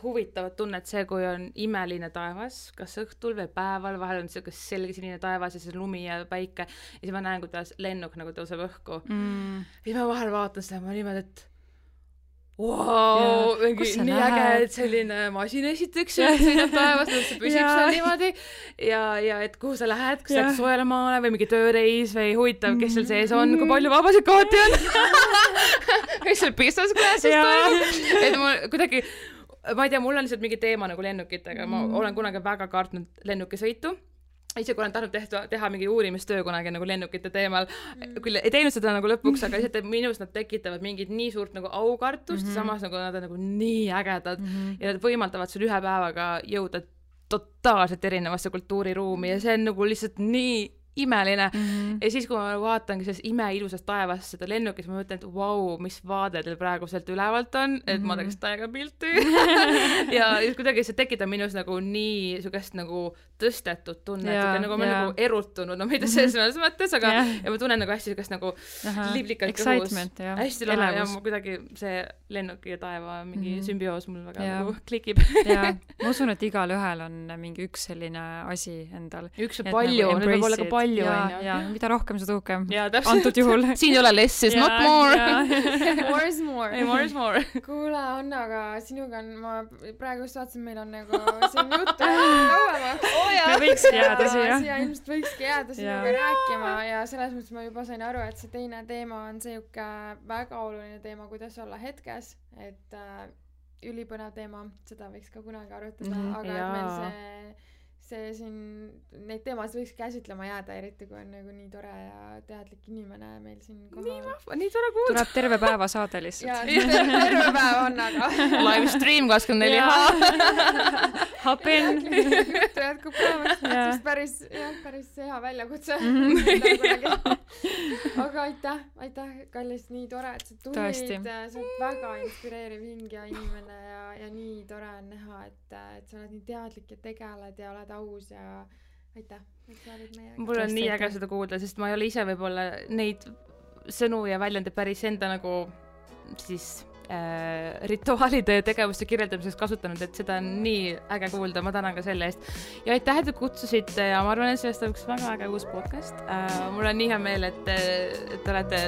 huvitavat tunnet see, kui on imeline taevas, kas õhtul või päeval, vahel on selline selge sinine taevas ja see lumi ja päike ja siis ma näen, kuidas lennuk nagu tõuseb õhku. Mm. Ja siis ma vahel vaatan seda, ma niimoodi, et Wow, mingi nii lähed? Äge, et selline masin esiteks sõidab taevas, see püsib seal niimoodi ja, ja et kuhu sa lähed, kas sa lähed soojale maale või mingi tööreis või huvitav, kes seal sees on, kui palju vabasid kohti on kes seal business classis toimub, et mul kuidagi, ma ei tea, mul on lihtsalt mingi teema nagu lennukitega, ma olen kunagi väga kartnud lennukisõitu. Ise kui olen tahtnud tehta, teha mingi uurimistöö kunagi nagu lennukite teemal, küll ei teinud seda nagu lõpuks, aga lihtsalt minus nad tekitavad mingid nii suurt nagu aukartust mm-hmm. ja samas nagu nad on nagu nii ägedad mm-hmm. ja nad võimaldavad sul ühe päevaga jõuda totaalselt erinevasse kultuuriruumi ja see on nagu lihtsalt nii imeline mm-hmm. ja siis, kui ma vaatangi selles imeilusast taevast seda lennukis, ma mõtlen, et vau, wow, mis vaade teil praegu sealt ülevalt on, et mm-hmm. ma teeks täiega pilti ja kuidagi see tekitab minus nagu nii sugust nagu tõstetud tunnet yeah,, nagu ma yeah. nagu erutunud, no mitte selles mm-hmm. mõttes, aga yeah. ja ma tunnen nagu hästi sugust nagu liblikalt kõhus, hästi lahe ja ma kuidagi see lennuki ja taeva mingi mm-hmm. sümbioos mul väga yeah. nagu klikib ja ma usun, et igal ühel on mingi üks selline asi endal. Üks ja palju, nüüd võib olla ka palju ja, ja mida rohkem, seda uhkem. Antud juhul. Siin ei ole less is not more. More is more. Ei, more is more. Kuule, Anna, aga sinuga on, ma praegu just vaatasin, meil on nagu siin juttu kauemaks. Oh, me võiks jääda siia. Siia ilmselt võikski jääda sinuga rääkima ja selles mõttes ma juba sain aru, et see teine teema on see jukke väga oluline teema, kuidas olla hetkes, et äh, ülipõnev teema, seda võiks ka kunagi arutada, mm-hmm. aga ja. Et meil see see siin, neid teemasid võiks käsitlema jääda, eriti kui on nagu nii tore ja teadlik inimene meil siin kohal. Nii vahva, nii tore kuulda. Tuleb terve päeva saade lihtsalt. Jaa, terve päev on, aga live stream kakskümmend neli Hop in. Juttu jätkub päevast, sest päris, jah, päris hea väljakutse. Mm-hmm. aga aitäh, aitäh, kallis, nii tore, et sa tulid. Sa oled väga inspireeriv hing ja inimene ja, ja nii tore on näha, et, et sa oled nii teadlik ja tegeled ja oled aus ja aitäh, et sa olid meiega. Mul on nii äge seda kuulda, sest ma ei ole ise võib-olla neid sõnu ja väljendid päris enda nagu siis äh, rituaalide ja tegevuste kirjeldamiseks kasutanud, et seda on nii äge kuulda, ma tänan ka selle eest. Ja aitäh, et kutsusite ja ma arvan, et sellest on üks väga äge uus podcast. Äh, mul on nii hea meel, et, et te olete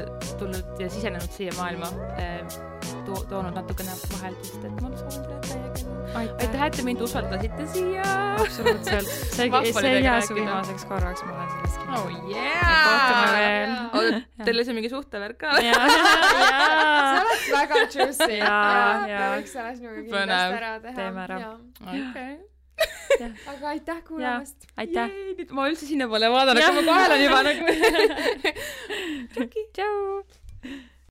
tulnud ja sisenenud siia maailma, äh, to- toonud natukene vaheldust, et ma soovin teile täiega. Aitäh, et te mind usaldasite siia. Absoluutselt. See, see ei jää su viimaseks korraks, ma olen sellest kindel. Oh yeah! Kohtume veel. Oh, teil see mingi suhtevärk ka? Jaa. See oleks väga juicy. Jaa, jaa. Me võiks selles nagu kindlasti ära teha. Teeme ära. Okay. Aga aitäh kuulamast. Aitäh. Jee, ma üldse sinna pole vaadanud, kui ma kohal on juba nagu. Tšau.